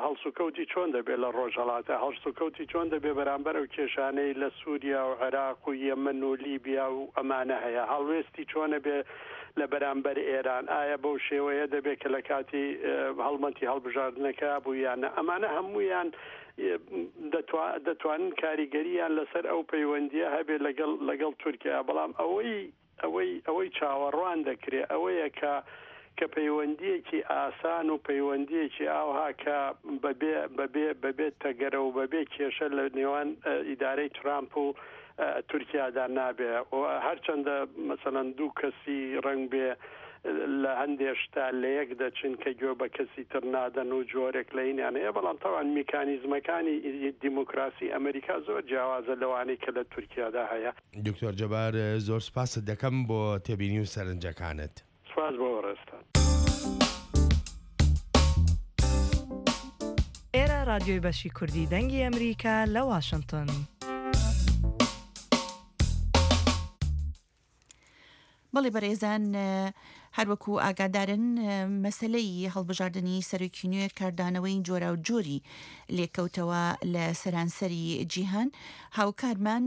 هەڵسوکەوتی چۆن دەبێت لە ڕۆژهەڵاتە هەڵسوکەوتی چۆن دەبێت بەرامبەر ئەو کێشانەی لە سووریا و عێراق و یەمەن و لیبیا و ئەمانە هەیە هەڵوێستی چۆنە بێ لە بەرامبەر ئێران ئایا بەو شێوەیە دەبێت کە لە کاتی هەڵمەتی هەڵبژاردنەکە بوو یانە ئەمانە هەمویان دەتوانن کاریگەرییان لەسەر ئەو پەیوەندییە هەبێت لەگەڵ لەگەڵ تورکیا، بەڵام ئەوەی ئەوەی ئەوەی چاوەڕوان دەکرێت ئەوەیە کە کە پەیوەندییەکی ئاسان و پەیوەندییەکی ئاوها کە بەبێ بەبێ بەبێ تەگەرە و بەبێ کێشە لە نێوان ئیدارەی ترامپ و تورکیادا نابێ و هەرچەندە مەسەلەن دوو کەسی ڕەنگ بێ لە هەندێ شتا لە یەک دەچن کە گوێ بە کەسی تر نادەن و جۆرێک لە هینیان هەیە بەڵام تەوان میکانیزمەکانی دیموکراسی ئەمریکا زۆر جیاوازە لەوانەی کە لە تورکیادا هەیە. دکتۆر جەبار زۆر سوپاست دەکەم بۆ تێبینی و سەرنجەکانت. سوپاس بۆ بەڕێزتان. ئێرە ڕادیۆی بەشی کوردی دەنگی ئەمریکا لە واشنتن. بەڵێ بەرێزان هەروەکو ئاگادارن مەسلەی هەڵبژاردننی سەرۆکی نوێ کاردانەوەی جۆرا و جۆری لێکەوتەوە لە سەرانسەری جیهان هاوکارمان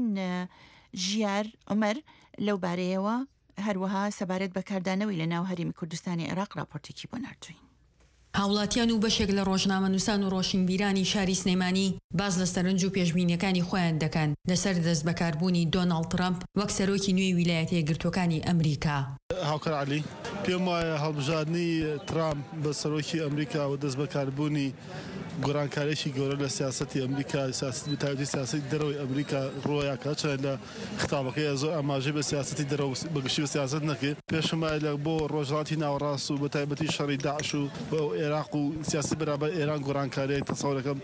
ژیار عمر لەو بارەیەوە هەروەها سەبارەت بە کاردانەوەی لە ناو هەرێمی کوردستانی عێراق ڕاپۆرتێکی بۆ ناردووین. هاوڵاتیان و بەشێک لە ڕۆژنامەنووسان و ڕۆشنبیرانی شاری سلێمانی باس لە سەرنج و پێشبینییەکانی خۆیان دەکەن لەسەر دەستبەکاربوونی دۆناڵد ترەمپ وەک سەرۆکی نوێی ویلایەتە یەکگرتووەکانی ئەمریکا. هاوکار عەلی، پێم وایە هەڵبژاردنی ترامپ بە سەرۆکی ئەمریکا و دەستبەکاربوونی گۆڕانکارییەکی گەورە لە سیاسەتی ئەمریکا، بەتایبەتی سیاسەتی دەرەوەی ئەمریکا ڕووەیا کە هەرچەندە لە خیتابەکەی زۆر ئاماژەی بە سیاسەتی دەرەوە بە گشتی بە سیاسەت نەکرد. پێشم وایە لە بۆ ڕۆژهەڵاتی ناوەڕاست و بە تایبەتی شەڕی داعش و ئێراق و سیاسەتی بەرامبەر ئێران گۆڕانکاریی تەسەور دەکەم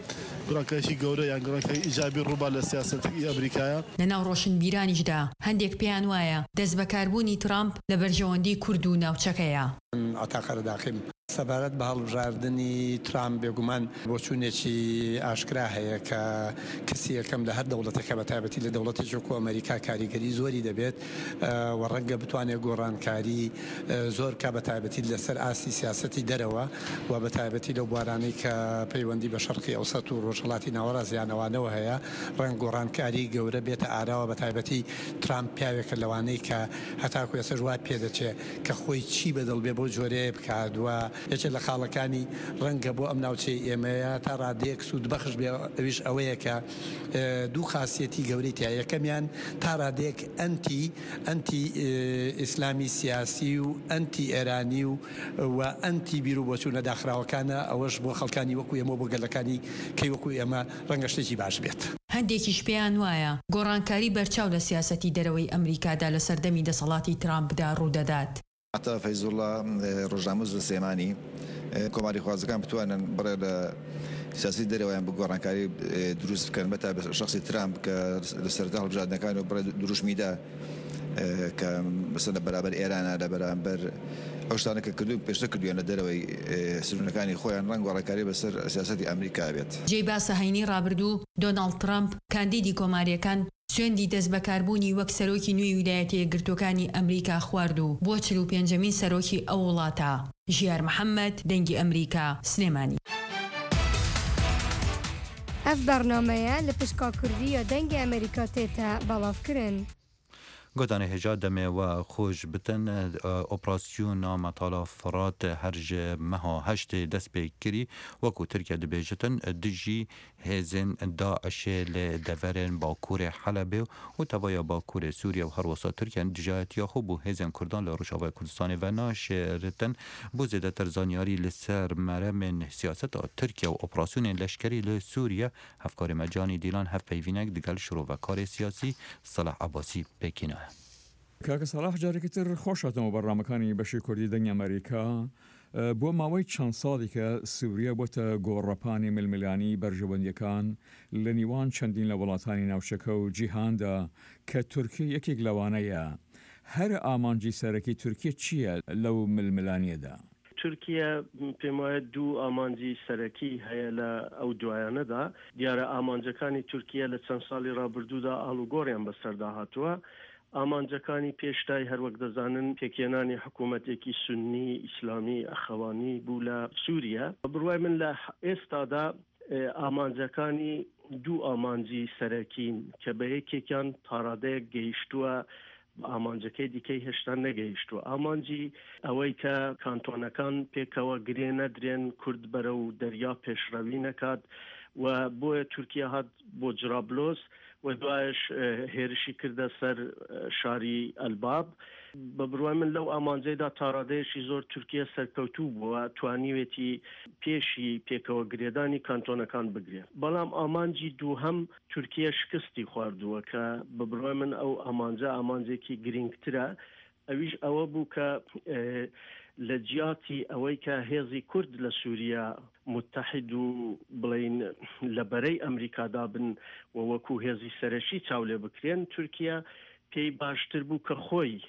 گۆڕانکاریی گەورە یان گۆڕانکاریی ئیجابی ڕووبا لە سیاسەتی ئەمریکایە. لە ناو ڕۆشنبیرانیشدا هەندێک پێیان وایە دەستبەکاربوونی ترامپ لە بەرژەوەندی کورد و ناوچەکەیە. من عەتا قەرەداخیم. سەبارەت بە هەڵبژاردنی ترامپ بێگومان بۆچوونێکی ئاشکرا هەیە کە کەسی یەکەم لە هەر دەوڵەتێکە بە تایبەتی لە دەوڵەتێکی وەکو ئەمەریکا کاریگەری زۆری دەبێت و ڕەنگە بتوانێت گۆڕانکاری زۆر بکات بە تایبەتی لەسەر ئاستی سیاسەتی دەرەوە و بە تایبەتی لەو بوارانەی کە پەیوەندی بە شەرقی ئەوسەت و ڕۆژهەڵاتی ناوەڕاست یان ئەوانەوە هەیە ڕەنگ گۆڕانکاری گەورە بێتە ئاراوە بە تایبەتی ترامپ پیاوێکە لەوانەی کە هەتاکو ئێستاش وا پێدەچێت کە خۆی چی بەدڵ بێ بەو جۆرەیە بکات و یەکێک لە خاڵەکانی ڕەنگە بۆ ئەم ناوچەی ئێمەیە تا ڕادەیەک سوودبەخش بێ ئەویش ئەوەیە کە دوو خاسیەتی گەورەی تیا یەکەمیان تا ڕادەیەک ئەنتی ئەنتی ئیسلامی سیاسی و ئەنتی ئێرانی و و ئەنتی بیر و بۆچوونە داخراوەکانە ئەوەش بۆ خەڵکانی وەکو ئێمە و بۆ گەلەکانی کەی وەکو ئێمە ڕەنگە شتێکی باش بێت. هەندێکیش پێیان وایە گۆڕانکاری بەرچاو لە سیاسەتی دەرەوەی ئەمریکادا لە سەردەمی دەسەڵاتی ترامپدا ڕوودەدات. عەتا فەیزوڵا، ڕۆژنامەنووس لە سلێمانی، کۆماریخوازەکان بتوانن بڕێ لە سیاسەتی دەرەوەیان بە گۆڕانکاری دروست بکەن، بەتایبەت شەخسی ترامپ کە لە سەرەتا هەڵبژاردنەکان و بڕێ دروشمی دا کە مەسەلەن لە بەرامبەر ئێرانە، لە بەرامبەر ئەو شتانە کە کردوون پێشتر کردوویان لە دەرەوەی سنوورەکانی خۆیان، ڕەنگ گۆڕانکاری بەسەر سیاسەتی ئەمریکا بێت. جێی باسە هەینی ڕابردوو دۆناڵد ترەمپ، کاندیدی کۆمارییەکان، سوێندی دەستبەکاربوونی وەک سەرۆکی نوێی ویلایەتە یەکگرتووەکانی ئەمریکا خوارد و بووە 45مین سەرۆکی ئەو وڵاتە. ژیار محەمەد، دەنگی ئەمریکا، سلێمانی. ئەڤ بەرنامەیە لە پشکا کوردی یا دەنگی ئەمریکا تێتە بەڵاڤ کرن. گۆتانە هێژا دەمێ وە خۆش بتن ئۆپراسیۆنا مەتالا فرات هەر ژ مەها هەشتێ دەست پێ کری وەکو ترکیە دبێژتن دژی هێزێن داعشێ لە دەڤەرێن باکوورێ حەلەبێ و تەڤایا باکوورێ سووریە و هەروەسا ترکیە دژایەتیا خۆ بۆ هێزێن کوردان لە ڕۆژاڤای کوردستانێ ڤە ناشێرتن بۆ زێدەتر زانیاری لە سەر مەرەمێن سیاسەتا ترکیە و ئۆپراسیۆنێن لەشکەری لە سووریە هەڤکارê me Canî Dîlan hevpeyvînek digel şirovekارê siyasî Selah Ebasî pêkînaye. کاکە سەڵاح جارێکی تر خۆش هاتنەوە بەرنامەکانی بەشی کوردی دەنگی ئەمەریکا. بۆ ماوەی چەند ساڵیکە سوریا بۆتە گۆڕەپانی ململانیی بەرژەوەندییەکان لە نیوان چەندین لە وڵاتانی ناوچەکە و جیهاندا کە تورکیە یەکێک لەوانەیە. هەرە ئامانجی سەرەکی تورکیە چییە لەو ململانییەدا؟ تورکیە پێموایە دوو ئامانجی سەرەکی هەیە لە ئەو دوایانەدا. دیارە ئامانجەکانی تورکیە لە چەند ساڵی ڕابردوودا ئاڵوگۆڕیان بەسەردا هاتووە. ئامانجەکانی پێشتای هەروەک دەزانن پێکهێنانی حکوومەتێکی سوننی ئیسلامی ئەخەوانی بوو لە سووریە. بە بڕوای من لە ئێستادا ئامانجەکانی دوو ئامانجی سەرەکین کە بە یەکێکیان تاڕادەیەک گەیشتووە بە ئامانجەکەی دیکەی هێشتا نەگەیشتووە. ئامانجی ئەوەی کە کانتۆنەکان پێکەوە گرێ نەدرێن، کورد بەرەو دەریا پێشڕەوی نەکات و بۆیە تورکیا هات بۆ جرابلۆس و دوایش هێرشی کردە سەر شاری ئەلباب. بە بڕوای من لەو ئامانجەیدا تاڕادەیەکی زۆر تورکیە سەرکەوتوو بووە، توانیوێتی پێشی پێکەوە گرێدانی کانتۆنەکان بگرێ. بەڵام ئامانجی دووهەم تورکیە شکستی خواردووە کە بە بڕوای من ئەو ئامانجە ئامانجێکی گرینگترە ئەویش ئەوە بوو کە لە جیاتی ئەوەی کە هێزی کورد لە سووریە موتەحید و بڵێین لە بەرەی ئەمریکادا بن و وەکوو هێزی سەرەکی چاو لێ بکرێن تورکیە پێی باشتر بوو کە خۆی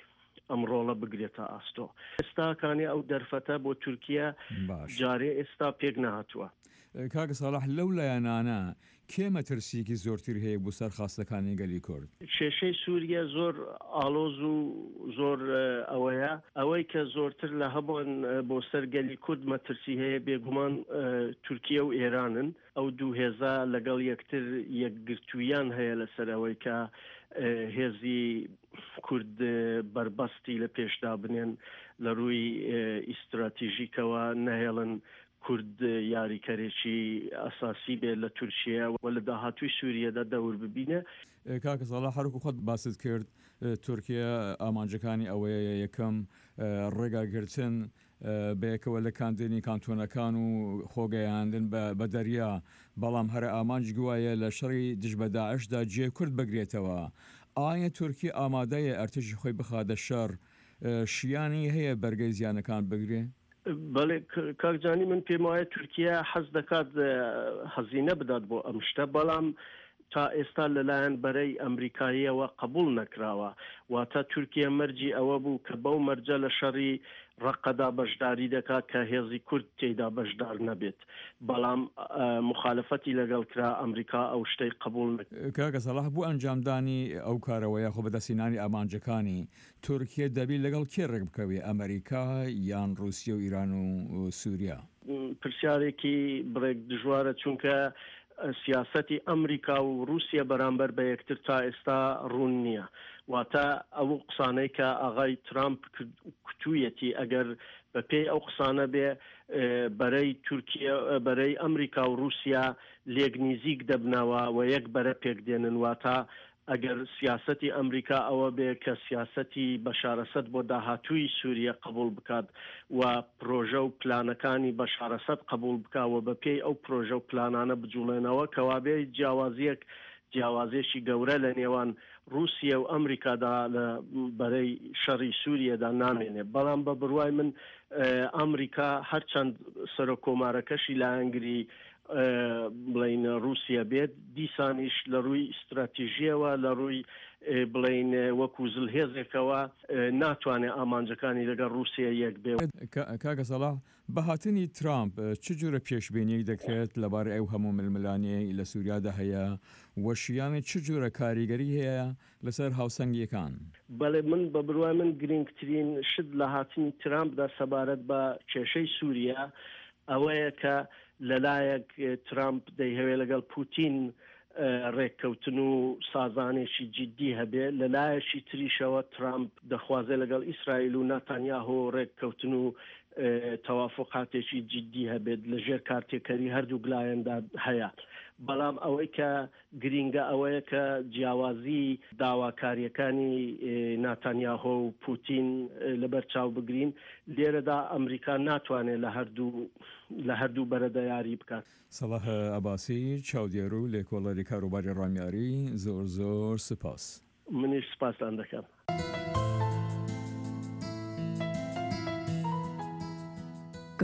ئەم ڕۆڵە بگرێتە ئاستۆ. ئێستا کانێ ئەو دەرفەتە بۆ تورکیە جارێ ئێستا پێک نەهاتووە. کاک ساڵح لەو لایەنانە کێ مەترسییەکی زۆرتری هەیە بۆ سەر خاستەکانی گەلی کورد؟ کێشەی سوریە زۆر ئاڵۆز و زۆر ئەوەیە. ئەوەی کە زۆرتر لە هەمووان بۆ سەر گەلی کورد مەترسی هەیە بێگومان تورکیە و ئێرانن. ئەو دوو هێزە لەگەڵ یەکتر یەکگرتووییان هەیە لەسەر ئەوەی کە هێزی کورد بەربەستی لە پێش دابنێن لە ڕووی ئیستراتیژیکەوە نەهێڵن کورد یاریکەرێکی ئەساسی بێت لە تورکیە و لە داهاتووی سوریەدا دەور ببینێ. کاکە ساڵح هەروەکو خۆت باست کرد تورکیە ئامانجەکانی ئەوەیە یەکەم ڕێگاگرتن بەیەکەوە لکاندنی کانتۆنەکان و خۆگەیاندن بە دەریا، بەڵام هەرە ئامانج گوایە لە شەڕی دژ بە داعشدا جێ کورد بگرێتەوە. ئایا تورکیە ئامادەیە ئەرتەشی خۆی بخاتە شەڕ؟ شیانی هەیە بەرگەی زیانەکان بگرێ؟ بەڵێ کاک جانی من پێم وایە تورکیە حەز دەکات هەزینە بدات بۆ ئەم شتە بەڵام تا ئێستا لەلایەن بەرەی ئەمریکاییەوە قبوڵ نەکراوە، واتە تورکیە مەرجی ئەوە بوو کە بەو مەرجە لە شەڕی ڕەققەدا بەشداری دەکات کە هێزی کورد تێیدا بەشدار نەبێت، بەڵام موخالفەتی لەگەڵ کرا، ئەمریکا ئەو شتەی قبوڵ نەکرد. کاکە سەڵاح بۆ ئەنجامدانی ئەو کارەوە یاخۆ بەدەستهێنانی ئامانجەکانی، تورکیە دەبی لەگەڵ کێ ڕێکبکەوێ، ئەمریکا یان ڕووسیە و ئیران و سووریا؟ پرسیارێکی بڕێک دژوارە، چونکە سیاسەتی ئەمریکا و ڕووسیە بەرامبەر بە یەکتر تا ئێستا ڕوون نییە. واتە ئەو قسانەی کە ئاغای ترامپ کوتوویەتی ئەگەر بە پێی ئەو قسانە بێ بەرەی تورکیە بەرەی ئەمریکا و ڕووسیا لێک نیزیک دەبنەوە و یەک بەرە پێک دێنن واتە ئەگەر سیاسەتی ئەمریکا ئەوە بێ کە سیاسەتی بەشار ئەسەد بۆ داهاتووی سووریە قەبووڵ بکات و پرۆژە و پلانەکانی بەشار ئەسەد قەبووڵ بکا و بە پێی ئەو پرۆژە و پلانانە بجووڵێنەوە کەوابێ جیاوازییەک جیاوازییەکی گەورە لە نێوان ڕووسیە و ئەمریکادا لە بەرەی شەڕی سووریەدا نامێنێ. بەڵام بە بڕوای من ئەمریکا هەرچەند سەرۆک کۆمارەکەشی لایەنگری بڵێین ڕووسیە بێت، دیسانیش لە ڕووی ستراتیژییەوە، لە ڕووی بڵێین وەکوو زلهێزێکەوە ناتوانێ ئامانجەکانی لەگەڵ ڕووسیە یەک بێ. کاکە سەڵاح، بە هاتنی ترامپ چ جۆرە پێشبینییەک دەکرێت لەبارەی ئەو هەموو ململانێیەی لە سووریادا هەیە و شیانی چ جۆرە کاریگەری هەیە لەسەر هاوسەنگییەکان؟ بەڵێ، من بە بڕوای من گرینگترین شت لە هاتنی ترامپدا سەبارەت بە کێشەی سووریە ئەوەیە کە لەلایەک ترامپ دەیهەوێ لەگەڵ پوتین ڕێککەوتن و سازانێکی جیدی هەبێ، لەلایەکی تریشەوە ترامپ دەخوازێ لەگەڵ ئیسرائیل و ناتانیاهۆ ڕێککەوتن و تەوافوقاتێکی جیدی هەبێت لە ژێر کارتێکەری هەردووک لایەندا هەیە. بەڵام ئەوەی کە گرینگە ئەوەیە کە جیاوازی داواکارییەکانی ناتانیاهۆ و پوتین لەبەر چاو بگرین، لێرەدا ئەمریکا ناتوانێت لە هەردوو لە هەردوو بەرەدا یاری بکات. سەڵاح عەباسی، چاودێر و لێکۆڵەری کاروباری ڕامیاری، زۆر زۆر سپاس. منیش سپاستان دەکەم.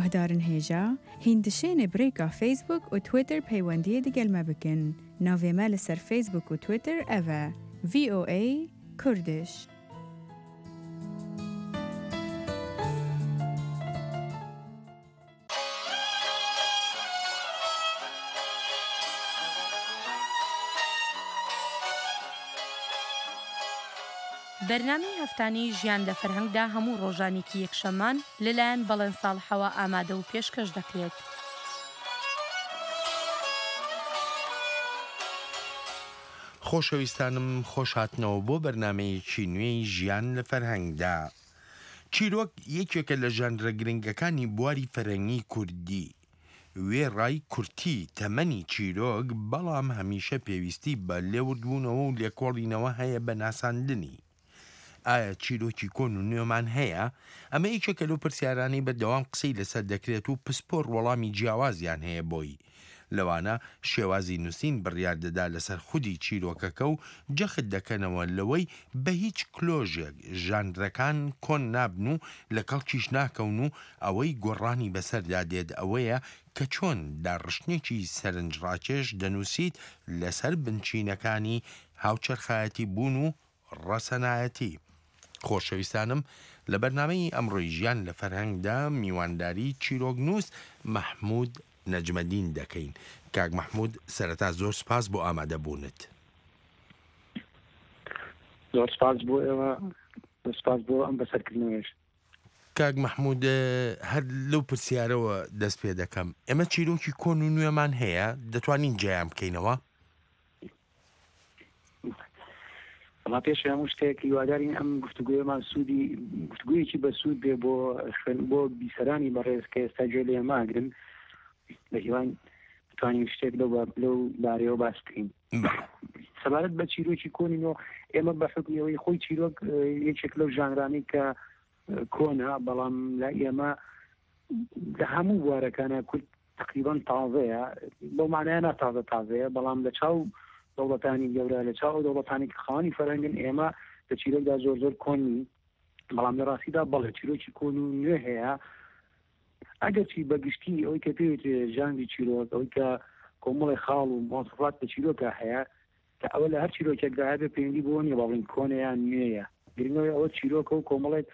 Guhdarin hêja, hîn dişênê bi rêka Facebook û Twitter peywendiyê digel me bikin. Navê me li ser Facebook û Twitter ev e, VOA Kurdish. بەرنامەی هەفتانەی ژیان لە فەرهەنگدا هەموو ڕۆژانێکی یەکشەممان لەلایەن بەڵێن ساڵحەوە ئامادە و پێشکەش دەکرێت. خۆشەویستانم خۆشهاتنەوە بۆ بەرنامەیەکی نوێی ژیان لە فەرهەنگدا. چیرۆک یەکێکە لە ژانرە گرنگەکانی بواری فەرهەنگی کوردی. وێڕای کورتی تەمەنی چیرۆک، بەڵام هەمیشە پێویستی بە لێوردبوونەوە و لێکۆڵینەوە هەیە بە ناساندنی. ئایا چیرۆکی کۆن و نوێمان هەیە؟ ئەمە یەکێکە لەو پرسیارانەی بەردەوام قسەی لەسەر دەکرێت و پسپۆڕ وەڵامی جیاوازیان هەیە بۆی. لەوانە شێوازی نووسین بڕیار دەدا لەسەر خودی چیرۆکەکە و جەخت دەکەنەوە لەوەی بە هیچ کلۆژێک ژانرەکان کۆن نابن و لە کەڵکیش ناکەون و ئەوەی گۆڕانی بەسەردا دێت ئەوەیە کە چۆن داڕشتنێکی سەرنجڕاکێش دەنووسیت لەسەر بنچینەکانی هاوچەرخایەتی بوون و ڕەسەنایەتی. خۆشەویستانم لە بەرنامەی ئەمڕۆی ژیان لە فەرهەنگدا میوانداری چیرۆکنووس مەحموود نەجمەدین دەکەین. کاک مەحموود سەرەتا زۆر سپاس بۆ ئامادە بوونت. زۆر سپاس بۆ ئێوە، زۆر سپاس بۆ ئەم بەسەرکردنەوەیش. کاک مەحموود هەر لەو پرسیارەوە دەست پێ دەکەم. ئێمە چیرۆکی کۆن و نوێمان هەیە، دەتوانین جیایان بکەینەوە؟ وەڵا پێش هەموو شتێک هیوادارین ئەم گفتوگۆیەمان سوودی گفتوگۆیەکی بەسوود بێ بۆ خوێن بۆ بیسەرانی بەڕێز کە ئێستا گوێ لێ ماگرن بە هیوان بتوانین شتێک لەو لەو بارەیەوە باس بکەین سەبارەت بە چیرۆکی کۆنی نۆ ئێمە بە حکمیەوەی خۆی چیرۆک یەکێک لەو ژانرانی کە کۆنە بەڵام لە ئێمە لە هەموو بوارەکانە کورد تەقریبەن تازەیە، بەو مانایە نا تازە تازەیە، بەڵام لە چاو دەوڵەتانی گەورە، لە چاو ئەو دەوڵەتانی کە خاوەنی فەرهەنگن، ئێمە لە چیرۆکدا زۆر زۆر کۆن نین، بەڵام لە ڕاستیدا بەڵێ چیرۆکی کۆن و نوێ هەیە، ئەگەرچی بە گشتی ئەوەی کە پێی وترێ ژانری چیرۆک، ئەوەی کە کۆمەڵێ خاڵ و مواسەفات لە چیرۆکا هەیە، کە ئەوە لە هەر چیرۆکێکدا هەبێ پەیوەندی بەوە نییە با بڵێین کۆنە یان نوێیە، گرنگەوەی ئەوە چیرۆکە و کۆمەڵێک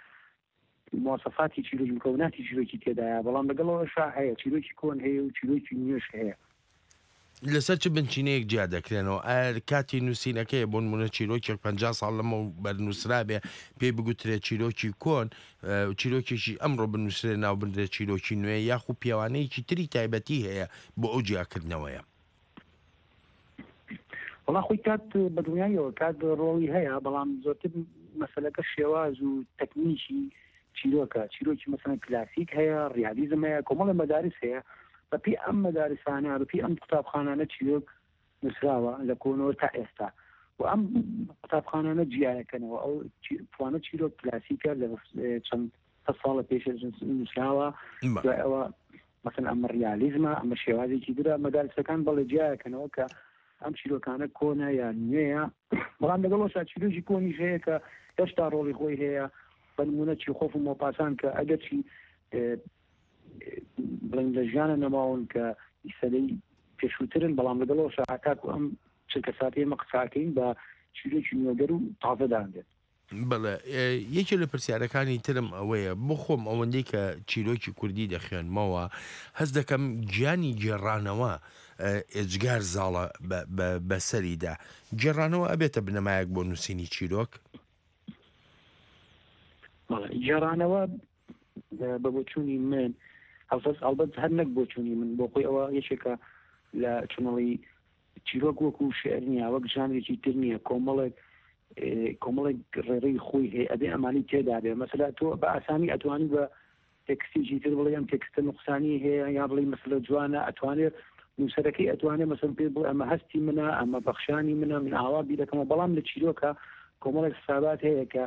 مواسەفاتی چیرۆکی مکەوناتی چیرۆکی تێدایە، بەڵام لەگەڵ ئەوەشا هەیە چیرۆکی کۆن هەیە و چیرۆکی نوێش هەیە. لەسەر چ بنچینەیەک جیا دەکرێنەوە؟ ئایا کاتی نووسینەکەیە، بۆ نموونە چیرۆکێک 50 ساڵ لەمەوبەر نووسرابێ پێی بگوترێ چیرۆکی کۆن، چیرۆکێکی ئەمڕۆ بنووسرێ ناو بنرێ چیرۆکی نوێ، یاخو پێوانەیەکی تری تایبەتی هەیە بۆ ئەو جیاکردنەوەیە؟ وەڵا خۆی کات بە دڵنیاییەوە کات ڕۆڵی هەیە بەڵام زۆرتر مەسەلەکە شێواز و تەکنیکی چیرۆکە چیرۆکی مەسەلەن کلاسیک هەیە ڕیالیزم هەیە کۆمەڵە مەدارس هەیە بەپی ئەم مەدارسانە بەپی ئەم قوتابخانانە چیرۆک نووسراوە لە کۆنەوە تا ئێستا و ئەم قوتابخانانە جیایەکەنەوە ئەو فلانە چیرۆک کلاسیکە لە چەند ساڵە پێش نووسراوە دوای ئەوە مەسەن ئەمە ڕیالیزمە، ئەمە شێوازێکی ترە، مەدارسەکان بەڵێ جیایەکەنەوە کە ئەم چیرۆکانە کۆنە یان نوێیە، بەڵام لەگەڵ ئەوشا چیرۆکی کۆنیش هەیە کە هێشتا ڕۆڵی خۆی هەیە، بە نموونە چیخۆف و مۆپاسان کە ئەگەرچی بڵێن لە ژیانە نەماون کە سەدەی پێشووترن، بەڵام لەگەڵ ئەوشا هەتاکو ئەم چرکەساتەی ئێمە قساکەین بە چیرۆکی نوێگەر و تازە دانرێت. بەڵێ یەکێ لە پرسیارەکانی ترم ئەوەیە بۆ خۆم ئەوەندەی کە چیرۆکی کوردی دەخوێنمەوە هەست دەکەم گیانی گێڕانەوە ئێجگار زاڵە بەسەریدا گێڕانەوە ئەبێتە بنەمایەک بۆ نووسینی چیرۆک؟ گێڕانەوە بە بۆچوونی من هەڵبەت هەڵبەت هەر نەک بۆچوونی من بۆ خۆی ئەوە یەکێکە لە چونەڵی چیرۆک وەکو شعر نییە وەک ژانرێکی تر نییە کۆمەڵێک کۆمەڵێک ڕێڕەی خۆی هەیە ئەبێ ئەمانی تێدا بێ مەسەلا تۆ بە ئاسانی ئەتوانی بە تێکستێکی تر بڵێ ئەم تێکستە نوقسانی هەیە یا بڵێ مەسەلە جوانە ئەتوانێت نووسەرەکەی ئەتوانێت مەسەن پێ بڵێ ئەمە هەستی منە ئەمە بەخشانی منە من ئاوا بیرەکەمەوە بەڵام لە چیرۆکە کۆمەڵێک حسابات هەیە کە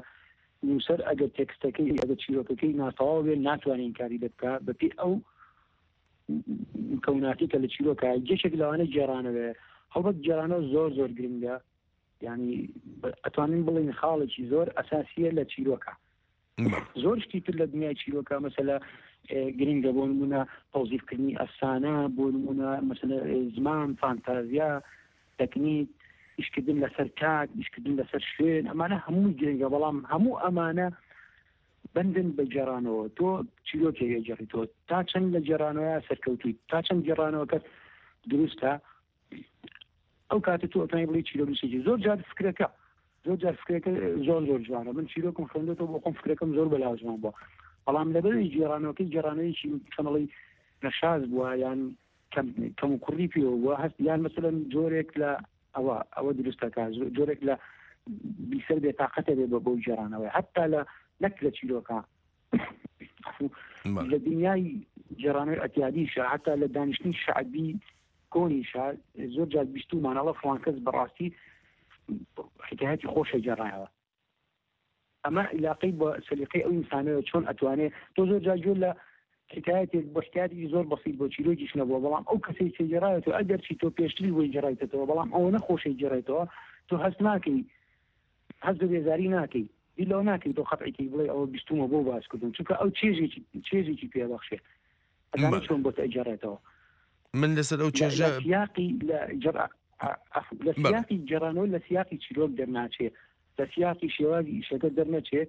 نووسەر ئەگەر تێکستەکەی ئەگەر چیرۆکەکەی ناتەواو بێ ناتوانێت ئینکاری لێ بکا بەپێی ئەو مکەوناتی کە لە چیرۆکە یەکێک لەوانە گێڕانەوەیە هەڵبەت گێڕانەوە زۆر زۆر گرنگە یعنی ئەتوانین بڵێین خاڵێکی زۆر ئەساسیە لە چیرۆکە. زۆر شتی تر لە دنیای چیرۆکە مەسەلە گرنگە بۆ نمونە تەوزیفکردنی ئەفسانە بۆ نمونە مەسەلە زمان فانتازیا تەکنیک ئیشکردن لەسەر کات ئیشکردن لەسەر شوێن ئەمانە هەمووی گرنگە بەڵام هەموو ئەمانە بەندن بە گێڕانەوە تۆ چیرۆکێک ئەگێڕیتەوە تا چەند لە گێڕانەوەیا سەرکەوتوویت تا چەند گێڕانەوەکەت دروستە ئەو کاتە تۆ ئەتوانی بڵێی چیرۆکنووسێکی زۆر جار فکرەکە زۆر جار فکرەکە زۆر زۆر جوانە من چیرۆکم خوێندێتەوە بۆ خۆم فکرەکەم زۆر بەلاوە جوان بووە بەڵام لەبەرەوەی گێڕانەوەکەی گێڕانەوەیەکی چەنەڵی نەشاز بووە یان کەم کەم و کوڕی پێوە بووە هەست یان مەسەلەن جۆرێک لە ئەوە ئەوە دروستەکە جۆرێک لە بیسەر بێ تاقەتە بێ بە بۆ گێڕانەوەی حتا لە نەک لە چیرۆکە لە دنیای گێڕانەوەی ئەتیادیشە حتا لە دانیشتنی شەعبی کۆنیشە زۆر جار بیستومان ئەڵە فڵان کەس بەڕاستی حکایەتی خۆشە گێڕایەوە ئەمە عیلاقەی بە سەلیقەی ئەو ئینسانەوە چۆن ئەتوانێ تۆ زۆر جار گوێ لە حکایەتێک بۆ حکایەتێکی زۆر بەسیط بۆ چیرۆکیش نەبووە بەڵام ئەو کەسەی کە گێڕایەتەوە ئەگەرچی تۆ پێشتری بۆی گێڕایتەوە بەڵام ئەوە نەخۆشەی گێڕێتەوە تۆ هەست ناکەی هەست بە بێزاری ناکەی بیر لەوە ناکەی تۆ قەتعی کەی بڵێ ئەوە بیستومە بۆ باس کردم چونکە ئەو چێژێکی چێژێکی پێبەخشێ ئەزانی چۆن بۆت ئەگێڕێتەوە من لەسەر ئەو چێژە لە سیاقی لە جڕ لە سیاقی گێڕانەوە لە سیاقی چیرۆک دەرناچێ لە سیاقی شێوازی ئیشەکە دەرنەچێ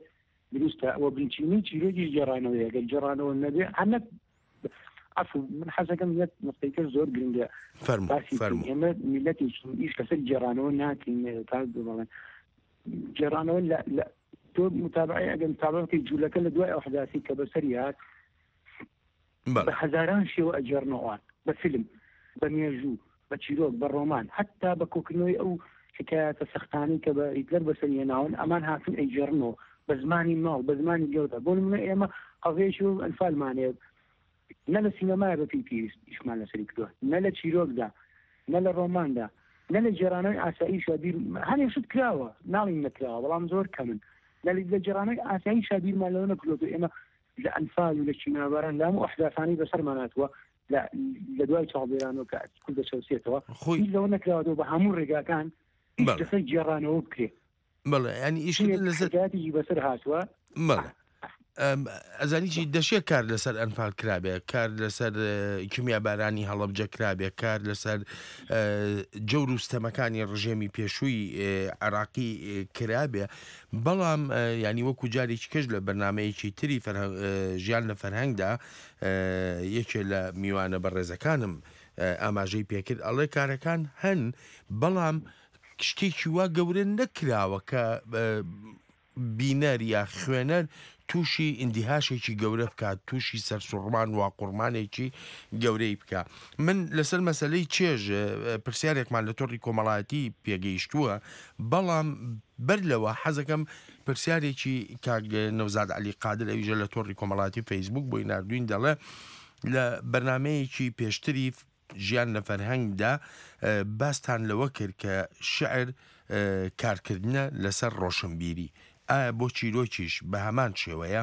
دروستە ئەوە بنچینەی چیرۆکیش گێڕانەوەیە گەر گێڕانەوە نەبێ هەر نەک عەفو من حەزەکەم یەک نقطەی تر زۆر گرنگە فەرموو باسی بکەین فەرموو ئێمە میللەتێکین ئیش لەسەر گێڕانەوە ناکەین کاک بڵێن گێڕانەوە لە لە تۆ متابعەی ئەگەر متابعە بکەی جوولەکە لە دوای ئەو حداسی کە بەسەری هات بە بەڵێ هەزاران شێوە ئەگێڕنەوە ئەوان بە فیلم بە مێژوو بە چیرۆک بە ڕۆمان هەتا بە کۆکردنەوەی ئەو حکایەتە سەختانەی کە بە هیتلەر بەسەری هێناون ئەمان هاتوون ئەیگێڕنەوە بە زمانی ماڵ بە زمانی گەورە بۆ نمونە ئێمە قەزیەکی وەک ئەنفالمان هەیە نە لە سینەمایە بە پێی پێویست ئیشمان لەسەری کردووە نە لە چیرۆکدا نە لە ڕۆماندا نە لە گێڕانەوەی ئاساییشا بیر هەنێ شت کراوە ناڵین نەکراوە بەڵام زۆر کەمن لە لە گێڕانەوەی ئاساییشا بیرمان لەوە نەکردووە ئێمە لە ئەنفال و لە کیمیاباران لە هەموو ئەحداسانەی بەسەرمان هاتووە لە لە دوای چاڵدێرانەوە کە کورد دەچەوسێتەوە خۆی بیر لەوە نەکراوەتەوە بە هەموو ڕێگاکان ئیش بەڵێ لەسەر گێڕانەوە بکرێ بەڵێ یانی ئیشکردن چونێک لەسەر حکایەتێکی بەسەر هاتووە بەڵێ ئەم، ئەزانی چی دەشێ کار لەسەر ئەنفال کرابێ کار لەسەر کیمیابارانی هەڵەبجە کرابێ کار لەسەر جەور و ستەمەکانی ڕژێمی پێشووی عێراقی کرابێ بەڵام یانی وەکو جارێکی کەش لە بەرنمەیەکی تری ژیان لە فەرهەنگدا یەکێ لە میوانە بەڕێزەکانم ئاماژەی پێکرد ئەڵێ کارەکان هەن بەڵام شتێکی وا گەورە نەکراوە کە بینەر یا خوێنەر تووشی ئیندیهاشێکی گەورە بکات تووشی سەرسوڕمان واقوڕمانێکی گەورەی بکا من لەسەر مەسەلەی چێژ پرسیارێکمان لە تۆڕی کۆمەڵایەتی پێگەیشتووە بەڵام بەر لەوە حەزەکەم پرسیارێکی کاک نەوزاد عەلی قادر ئەویژە لە تۆڕی کۆمەڵاتی فەیسبوک بۆی ناردوین دەڵێ لە بەرنمەیەکی پێشتری ژیان لە فەرهەنگدا باستان لەوە کرد کە شعر کارکردنە لەسەر ڕۆشنبیری ئایا بۆ چیرۆکیش بە هەمان شێوەیە؟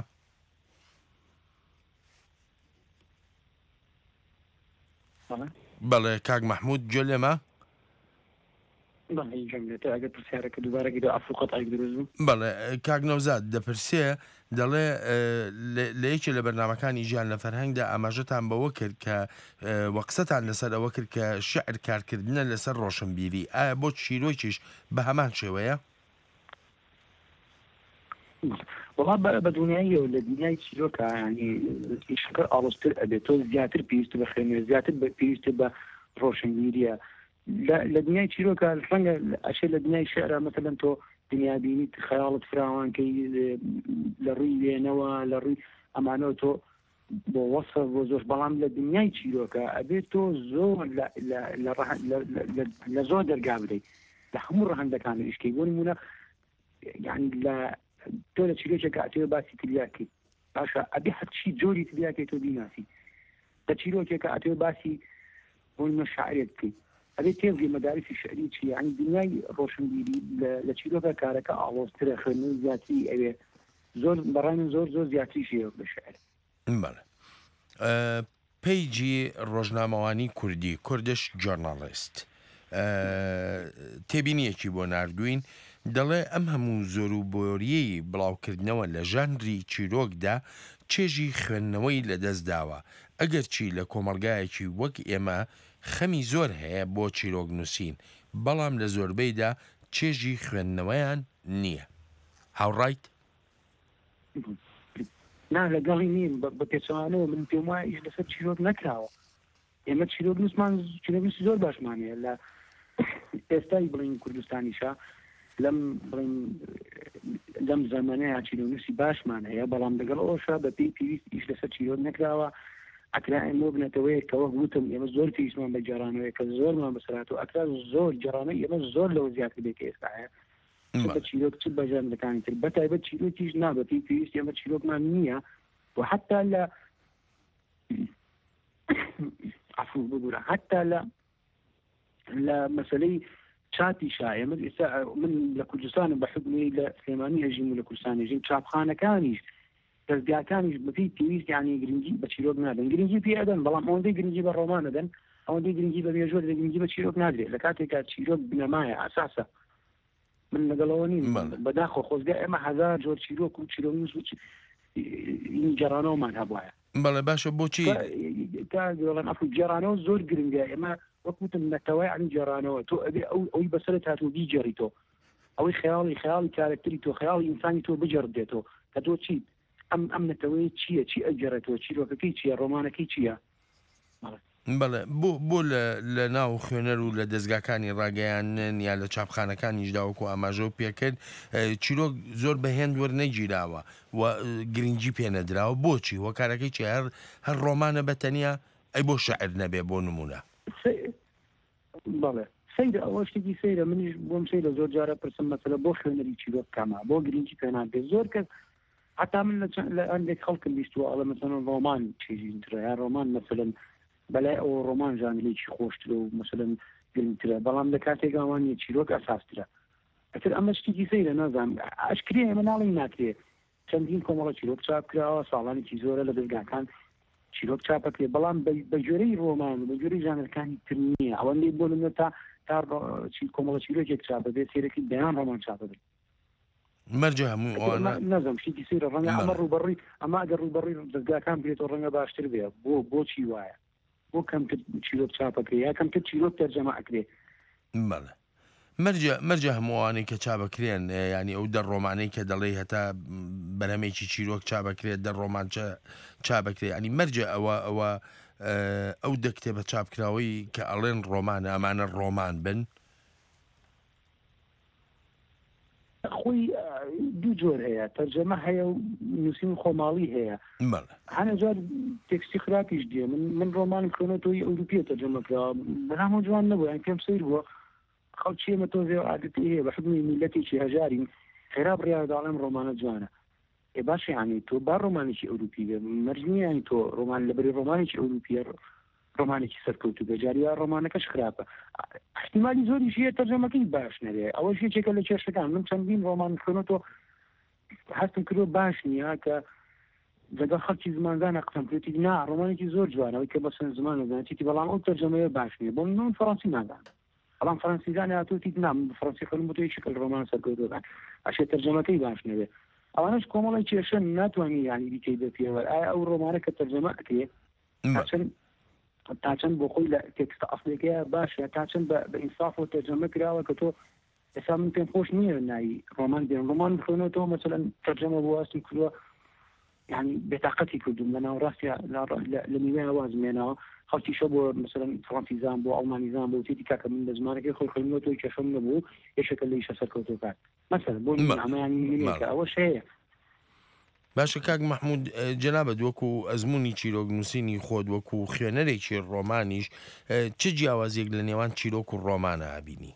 بەڵێ کاک مەحمود گوێ لێمە؟ بەڵێ کاک نەوزاد دەپرسێ دەڵێ لە یەکێ لە بەرنامەکانی ژیان لە فەرهەنگدا ئاماژەتان بەوە کرد کە وە قسەتان لەسەر ئەوە کرد کە شعر کارکردنە لەسەر ڕۆشنبیری ئایا بۆ چیرۆکیش بە هەمان شێوەیە؟ وەڵا بە دڵنیاییەوە لە دنیای چیرۆکا یانی ئیشەکە ئاڵۆزتر ئەبێت تۆ زیاتر پێویست بە خوێندنەوە زیاتر پێویست بە ڕۆشنبیریە لە دنیای چیرۆکە ڕەنگە ئەشێ لە دنیای شعرا مەسەلەن تۆ دنیابینیت خەیاڵت فراوانکەی لە ڕووی وێنەوە لە ڕووی ئەمانەوە تۆ بۆ وەسف بۆ زۆر بەڵام لە دنیای چیرۆکە ئەبێت تۆ زۆر لە زۆر دەرگا بدەیت لە هەموو ڕەهەندەکان ئیشکەی بۆ نمونە یعنی لە تۆ لە چیرۆکێکە ئەتەوێ باسی تلیاکی باشە ئەبێ هەرچی جۆری تلیاکەی تۆ بیناسی لە چیرۆکێکە ئەتەوێ باسی بۆ نمونە شاعرێک بکەیت ئەبێ تێبگەی مەدارسی شعری چیە یعنی دنیای ڕۆشنبیری لە چیرۆکە کارەکە ئاڵۆزترە خوێندنەوەی زیاتری ئەوێ زۆر بەڕای من زۆر زۆر زیاتریشی هەیە لە شعر. بەڵێ. پەیجی ڕۆژنامەوانی کوردی، Kurdish Journalist، تێبینیەکی بۆ ناردووین. دەڵێ ئەم هەموو زۆروبۆرییەی بڵاوکردنەوە لە ژانری چیرۆکدا چێژی خوێندنەوەی لەدەست داوە، ئەگەرچی لە کۆمەڵگایەکی وەک ئێمە خەمی زۆر هەیە بۆ چیرۆک نووسین، بەڵام لە زۆربەیدا چێژی خوێندنەوەیان نییە. هاوڕایت؟ نا لەگەڵی نیم، بە پێچەوانەوە من پێم وایە ئیش لەسەر چیرۆک نەکراوە. ئێمە چیرۆک نووسمان چیرۆک نووسی زۆر باشمان هەیە لە ئێستای بڵین کوردستانیشە لەم بڵین لەم زەمەنەیە چیرۆنووسی باشمان هەیە بەڵام لەگەڵ ئەوشا بە پێی پێویست ئیش لەسەر چیرۆک نەکراوە ئەکرا ئێمە وەک نەتەوەیەک کە وەک وتم ئێمە زۆر پێویستمان بە گێڕانەوەیە کە زۆرمان بەسەرهات و ئەکرا زۆر گێڕانەوەی ئێمە زۆر لەوە زیاتر بێت کە ئێستا هەیە چ بە چیرۆک چ بە ژانرەکانی تر بە تایبەت چیرۆکیش نا بە پێی پێویست ئێمە چیرۆکمان نییە و حتا لە عفو ببورە حتا لە لە مەسلەی چاپیشا ئێمە ئێستا من لە کوردستانم بە حکومی لە سلێمانی ئەژیم و لە کوردستان ئەژیم چاپخانەکانیش دەستگاکانیش بەپێی پێویست یعنی گرنگی بە چیرۆک نادەن گرنگی پێ ئەدەن بەڵام ئەوەندەی گرنگی بە ڕۆمان ئەدەن ئەوەندەی گرنگی بە مێژوو دەدەن گرنگی بە چیرۆک نادرێت لە کاتێکا چیرۆک بنەمایە ئەساسە من لەگەڵەوە نیم بەداخۆ خۆزگە ئێمە هەزار جۆر چیرۆک و چیرۆنووس و گەڕانەوەمان هەبواە بەڵێ باشە بۆچی دەڵێن ئەفو گێڕانەوە زۆر گرنگە ئێمە وەک وتم نەتەوەی ئەنی گێڕانەوە تۆ ئەبێ ئەو ئەوی بەسەرت هاتوو بیگێڕی تۆ ئەوەی خەیاڵی خەیاڵی کارەکتەری تۆ خەیاڵی ئینسانی تۆ بگێڕدرێتەوە کە تۆ چیت ئەم ئەم نەتەوەیە چییە چی ئەگێڕێتەوە چیرۆکەکەی چییە ڕۆمانەکەی چییە بەڵێ بۆ بۆ لە لە ناو خوێنەر و لە دەزگاکانی ڕاگەیاندن یا لە چاپخانەکانیشدا وەکو ئاماژەو پێکرد چیرۆک زۆر بە هێند وەرنەگیراوە و گرنگی پێ نەدراوە بۆچی هۆکارەکەی چیە هەر هەر ڕۆمانە بە تەنیا ئەی بۆ شعر نەبێ بۆ نمونە؟ بەڵێ سەیرە ئەوە شتێکی سەیرە منیش بۆم سەیرە زۆر جارە پرسم مەسەلە بۆ خوێنەری چیرۆک کەمە بۆ گرنگی پێ نادرێت زۆر کەس حتا من لە هەندێک خەڵکم بیستووە ئەڵێ مەسەلەن ڕۆمان شیرینترە یا ڕۆمان مەسەلەن بەلای ئەوە ڕۆمان ژانرێکی خۆشترە و مەسەلەن گرنگترە بەڵام لە کاتێکا وان نییە چیرۆک ئەساسترە ئەتر ئەمە شتێکی سەیرە نازانم ئەشکرێ ئێمە ناڵێین ناکرێ چەندین کۆمەڵە چیرۆک چاپ کراوە ساڵانێکی زۆرە لە دەزگاکان چیرۆک چاپ ئەکرێ بەڵام بە گوێرەی ڕۆمان و بە گوێرەی ژانرەکانی تر نییە ئەوەندەی بۆ نمونە تا تا کۆمەڵە چیرۆکێک چاپ بێت سەیرەکەی دەیان ڕۆمان چاپ بێت مەرجە هەموو ئەوانە نازم شتێکی سەیرە ڕەنگە ئەمە ڕووبەڕووی ئەمە ئەگەر ڕووبەڕووی دەزگاکان بێتەوە ڕەنگە باشتر بێ بۆ بۆچی وایە بۆ کەمتر چیرۆک چاپ ئەکرێ یا کەمتر چیرۆک تەرجەمە ئەکرێ بەڵێ مەرجە مەرجە هەموو ئەوانەی کە چاپەکرێن ینی ئەو دە ڕۆمانەی کە دەڵێی هەتا بەرهەمێکی چیرۆک چاپەکرێت دە ڕۆمان چاپەکرێ ینی مەرجە ئەوە ئەوە ئەو دە کتێبە چاپکراوەی کە ئەڵێن ڕۆمانە ئەمانە ڕۆمان بن خۆی دوو جۆر هەیە تەرجەمە هەیە و نووسین خۆماڵی هەیە هەنە جار تێکستی خراپیش دێ من من ڕۆمانم خوێنەوە ئەوروپیە تەرجەمە کراوە بەلامەوە جوان نەبوو یان پێم سەیر بووە خەڵکی ئێمە تۆزێ عادەتی هەیە بە حوکمی میللەتێکی هەژارین خێرا بڕیار داڵێم ڕۆمانە جوانە ئێ باشە یانی تۆ با ڕۆمانێکی ئەوروپی بێ مەرج نییە یانی تۆ ڕۆمان لەبەری ڕۆمانێکی ئەوروپیە ڕۆمانێکی سەرکەوتوو بێ جاری وا ڕۆمانەکەش خراپە احتیمالی زۆریش هەیە تەرجەمەکەی باش نەبێ ئەوەش یەکێکە لە کێشەکان من چەندین ڕۆمان خوێنەوە هەستم کردووە باش نییە کە لەگەڵ خەڵکی زمانزانە قسەم کردی نا ڕۆمانێکی زۆر جوانەوەی کە بەسەن زمان نەزانێتی بەڵام ئەو تەرجەمەیە باش نییە بۆ من فەڕەنسی نازانم بەڵام فەرەنسیزان هاتووە تیت نا من بە فەرەنسی خوێنم بۆ تۆ یەکێکە لە ڕۆمانە سەرکەوتووەکان ئەشێ تەرجەمەکەی باش نەبێ ئەوانەش کۆمەڵی کێشەن ناتوانانی یانی بیکەی بە پێوەر ئایا ئەو ڕۆمانە کە تەرجەمە ئەکرێ تا چەند تا چەند بۆ خۆی لە تێکستە ئەسڵیەکەیە باشە تا چەند بە بە ئینسافەوە تەرجەمە کراوە کە تۆ ئێستا من پێم خۆش نییە ناوی ڕۆمان بێنم ڕۆمان بخوێنەوە مەسەلەن تەرجەمە بۆ هەستم کردووە یعنی بێتاقەتی کردوم لە ناوەڕاستیا لە نیوەیان وازم هێناوە خەڵکیشە بۆ مەسەلەن فڕەنسیزان بۆ ئەڵمانیزان بۆ تێتی کاکە من بە زمانەکەی خۆی خوێندمەوە تۆی کێشەم نەبوو یەکێکە لە ئیشە سەرکەوتووەکان مەسەلەن بۆ نموونە ئەمە یانی نموونەیەکە ئەوەش هەیە. باشە کاک مەحموود جەنابت وەکو ئەزموونی چیرۆک نووسینی خۆت وەکو خوێنەرێکی ڕۆمانیش چ جیاوازیەک لە نێوان چیرۆک و ڕۆمانە ئەبینی؟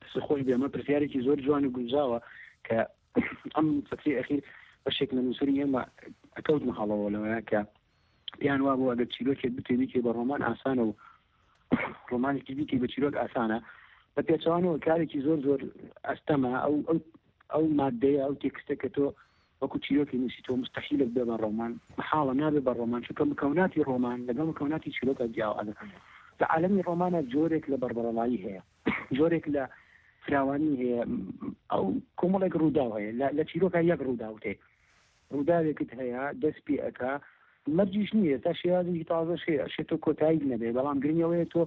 دەست خۆش بێ ئەمە پرسیارێکی زۆر جوان و گونجاوە کە ئەم فترەی ئەخیر بەشێک لە نووسەری ئێمە ئەکەوتنە هەڵەوە لەوەیە کە پێیان وابوو ئەگەر چیرۆکێک بتێ بیکەی بە ڕۆمان ئاسانە و ڕۆمانێکی بیکەی بە چیرۆک ئاسانە بە پێچەوانەوە کارێکی زۆر زۆر ئەستەمە ئەو ئەو ئەو مادەیە ئەو تێکستە کە تۆ وەکو چیرۆکی نووسی تۆ مستحیلت بێ بە ڕۆمان محاڵە نابێ بە ڕۆمان چونکە مکەوناتی ڕۆمان لەگەڵ مکەوناتی چیرۆکە جیاوازە لە عالەمی ڕۆمانە جۆرێک لە بەربەرەڵایی هەیە جۆرێک لە. فراوانی هەیە ئەو کۆمەڵێک ڕووداو هەیە لە چیرۆکە یەک ڕووداوت هەیە ڕووداوێکت هەیە دەست پێ ئەکا مەرجیش نییە تا شێوازێکی تازەش هەیە ئەشێ تۆ کۆتاییت نەبێ بەڵام گرنگ ئەوەیە تۆ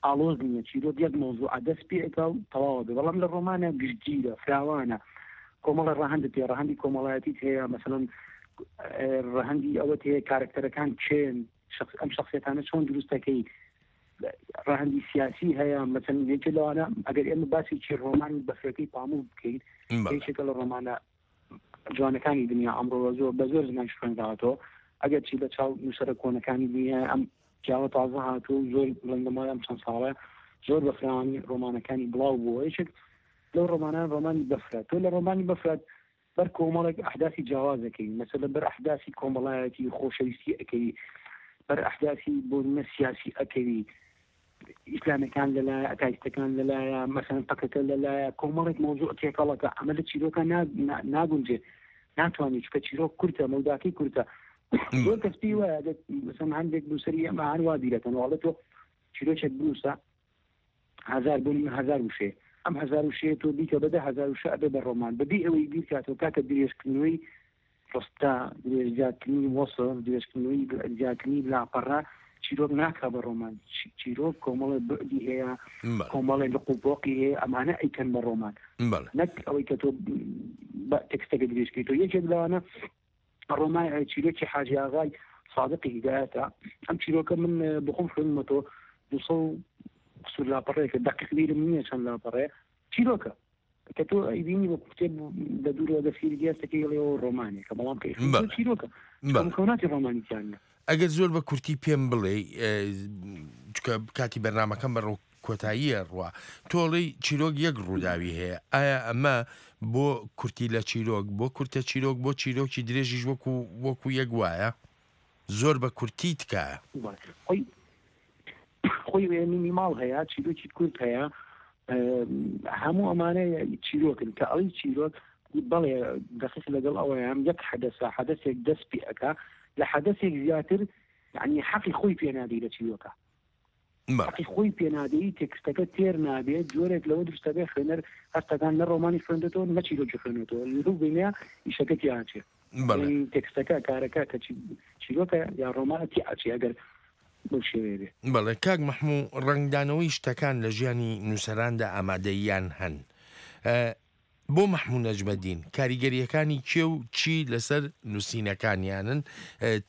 ئاڵۆز نییە چیرۆک یەک مەوزوعە دەست پێ ئەکا و تەواوە بێ بەڵام لە ڕۆمانە گشتگیرە فراوانە کۆمەڵە ڕەهەندت هەیە ڕەهەندی کۆمەڵایەتیت هەیە مەسەلەن ڕەهەندی ئەوەت هەیە کارەکتەرەکان کێن ئەم شخصیەتانە چۆن دروست دەکەی ڕەهەندی سیاسی هەیە مەسەلەن یەکێ لەوانە ئەگەر ئێمە باسێکی ڕۆمانی بەفرەکەی پاموک بکەین یەکێکە لە ڕۆمانە جوانەکانی دنیا ئەمڕۆ زۆر بە زۆر زمانیش خوێنراوەتەوە ئەگەر چی لە چاو نووسەرە کۆنەکانی دنیا ئەم پیاوە تازە هاتووە و زۆر بڵێن لە ماوەی ئەم چەند ساڵە زۆر بە فراوانی ڕۆمانەکانی بڵاو بووە یەکێک لەو ڕۆمانان ڕۆمانی بەفرە تۆ لە ڕۆمانی بەفرە بەر کۆمەڵێک ئەحداثی جیاواز ئەکەوی مەسەلەن بەر ئەحداثی کۆمەڵایەتی خۆشەویستی ئەکەوی بەر ئەحداثی بۆ نمونە سیاسی ئەکەوی ئیسلامەکان لەلایە ئەتایستەکان لەلایە مەسەلەن پەکەکە لەلایە کۆمەڵێک مەوزوع تێکەڵەکە ئەمە لە چیرۆکە ناگونجێ ناتوانێت چکە چیرۆک کورتە مەوداکەی کورتە زۆر کەس پێی وایە مەسەلەن هەندێک نووسەری ئەمە هەر وا بیرەکەن وڵێ تۆ چیرۆکێک بنووسە هەزار بۆ نمونە هەزار وشەیە ئەم هەزار وشەیە تۆ بیکە بە 10000 وشە ئەبێ بە ڕۆمان بەبێ ئەوەی بیرکاتەوە کاکە درێژکردنەوەی ڕستە درێژزیادکردنی وەسف درێژکردنەوەی زیادکردنی لاپەڕە چیرۆک ناکا بە ڕۆمان چیرۆک کۆمەڵێ بعدی هەیە کۆمەڵێ لق و پۆقی هەیە ئەمانە ئەیکەن بە ڕۆمان نەک ئەوەی کە تۆ تێکستەکە درێژکەیتەوە یەکێک لەوانە ڕۆمان چیرۆکی حاجی ئاغای سادقی هیدایەتە ئەم چیرۆکە من بخۆم خوێندمەتەوە دوسە و قسوور لاپەڕەیەکە دەقیق بیرم نییە چەند لاپەڕەیە چیرۆکە کە تۆ ئەیبینی وەکو کتێب لە دوورەوە دەستی گەستەکەی ئەڵێەوە ڕۆمانێکە بەڵام کە چیرۆکە مکەوناتی ڕۆمانی تیان نییە. ئەگەر زۆر بە کورتی پێم بڵێ چکە کاتی بەرنمەکەم بەڕۆ کۆتاییە ڕوا تۆڵی چیرۆک یەک ڕووداوی هەیە ئایا ئەمە بۆ کورتی لە چیرۆک بۆ کورتە چیرۆک بۆ چیرۆکی درێژیش وەکو وەکو یەک وایە زۆر بە کورتی تکایە. خۆی خۆی مینیماڵ هەیە چیرۆکی کورت هەیە هەموو ئەمانە چیرۆکن کە ئەڵی چیرۆک بەڵێ دەقیق لەگەڵ ئەوەیان یەک حەدەسە حەدەسێک دەست پێ ئەکا لە حەدەسێک زیاتر یعنی حەقی خۆی پێ نادەی لە چیرۆکە حەقی خۆی پێ نادەی تێکستەکە تێر نابێت جۆرێک لەوە دروستە بێ خوێنەر هەستەکان نە ڕۆمانی خوێندێتەوە نە چیرۆکی خوێنێتەوە لەو بینە ئیشەکە تیاچێ تێکستەکە کارەکە کە چیرۆکە یا ڕۆمانە تیاچێ ئەگەر بەو شێوەیە بێ. بەڵێ کاک مەحموو ڕەنگدانەوەی شتەکان لە ژیانی نووسەراندا ئامادەییان هەن. بۆ مەحموو نەجمەدین کاریگەرییەکانی کێ و چی لەسەر نووسینەکانیانن؟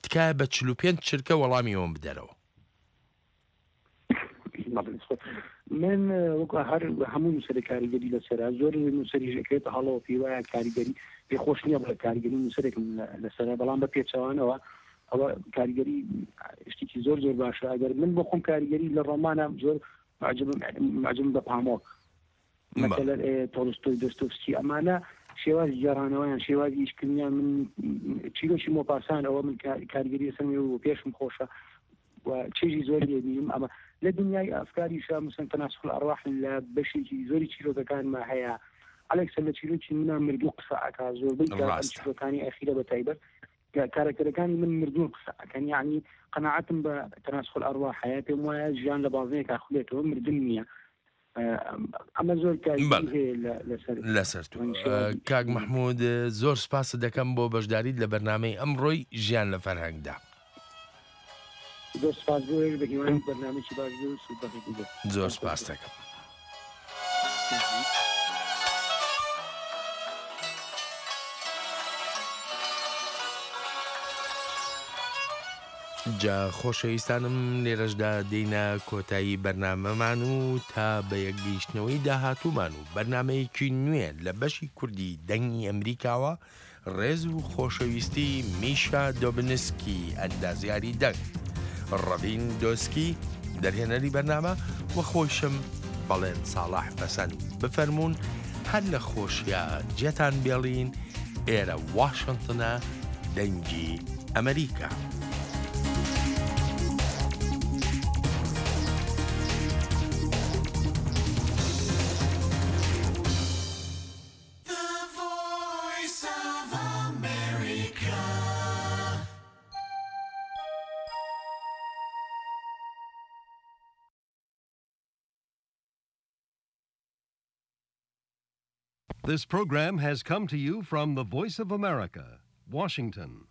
تکایە بە 45 چرکە وەڵامی ئەوەم بدەرەوە. من وەکو هەر هەموو نووسەرێک کاریگەری لەسەرە زۆر نووسەریش ئەکرێتە هەڵەوە پێی وایە کاریگەری پێ خۆش نییە بڵێ کاریگەری نووسەرێکم لەسەرە بەڵام بە پێچەوانەوە ئەوە کاریگەری شتێکی زۆر زۆر باشە ئەگەر من بۆ خۆم کاریگەری لە ڕۆمانە زۆر معجبم بە پامۆک مەسەلەن تۆڵستۆی دۆستۆفسکی ئەمانە شێوازی گێڕانەوەیان شێوازی ئیشکردنیان من چیرۆکی مۆپاسان ئەوە من کاریگەری لەسەر و پێشم خۆشە و چێژی زۆر لێبینم ئەمە لە دنیای ئەفکاریشا مثلەن تەناسخ الارواح لە بەشێکی زۆری چیرۆکەکانما هەیە ئەلێکسە لە چیرۆکی منا مردوو قسە ئەکا زۆربەی چیرۆکانی ئەخیرە بە تایبەت کارەکتەرەکانی من مردوون قسە ئەکەن یعنی قەناعەتم بە تەناسخ الارواح هەیە پێم وایە ژیان لە بازنەیەکا خولێتەوە مردن نییە ئەمە زۆر کاریگەری هەیە لەسەر لەسەر تۆ کاک مەحموود زۆر سپاست دەکەم بۆ بەشداریت لە بەرنامەی ئەمڕۆی ژیان لە فەرهەنگدا. زۆر سپاس بۆ ئێوەش بە هیوای بەرنامەیەکی باش بێ و سوودبەخش بێت. زۆر سپاست دەکەم. جا خۆشەویستانم لێرەشدا دێینە کۆتایی بەرنامەمان و تا بە یەکگەیشتنەوەی داهاتوومان و بەرنامەیەکی نوێ لە بەشی کوردی دەنگی ئەمریکاوە ڕێز و خۆشەویستی میشا دۆبنسکی ئەندازیاری دەنگ ڕەڤین دۆسکی دەرهێنەری بەرنامە و خۆیشم بەڵێن ساڵح پەسەند بفەرموون هەر لە خۆشیا جێتان بێڵین ئێرە واشنتنە دەنگی ئەمریکا. This program has come to you from the Voice of America, Washington.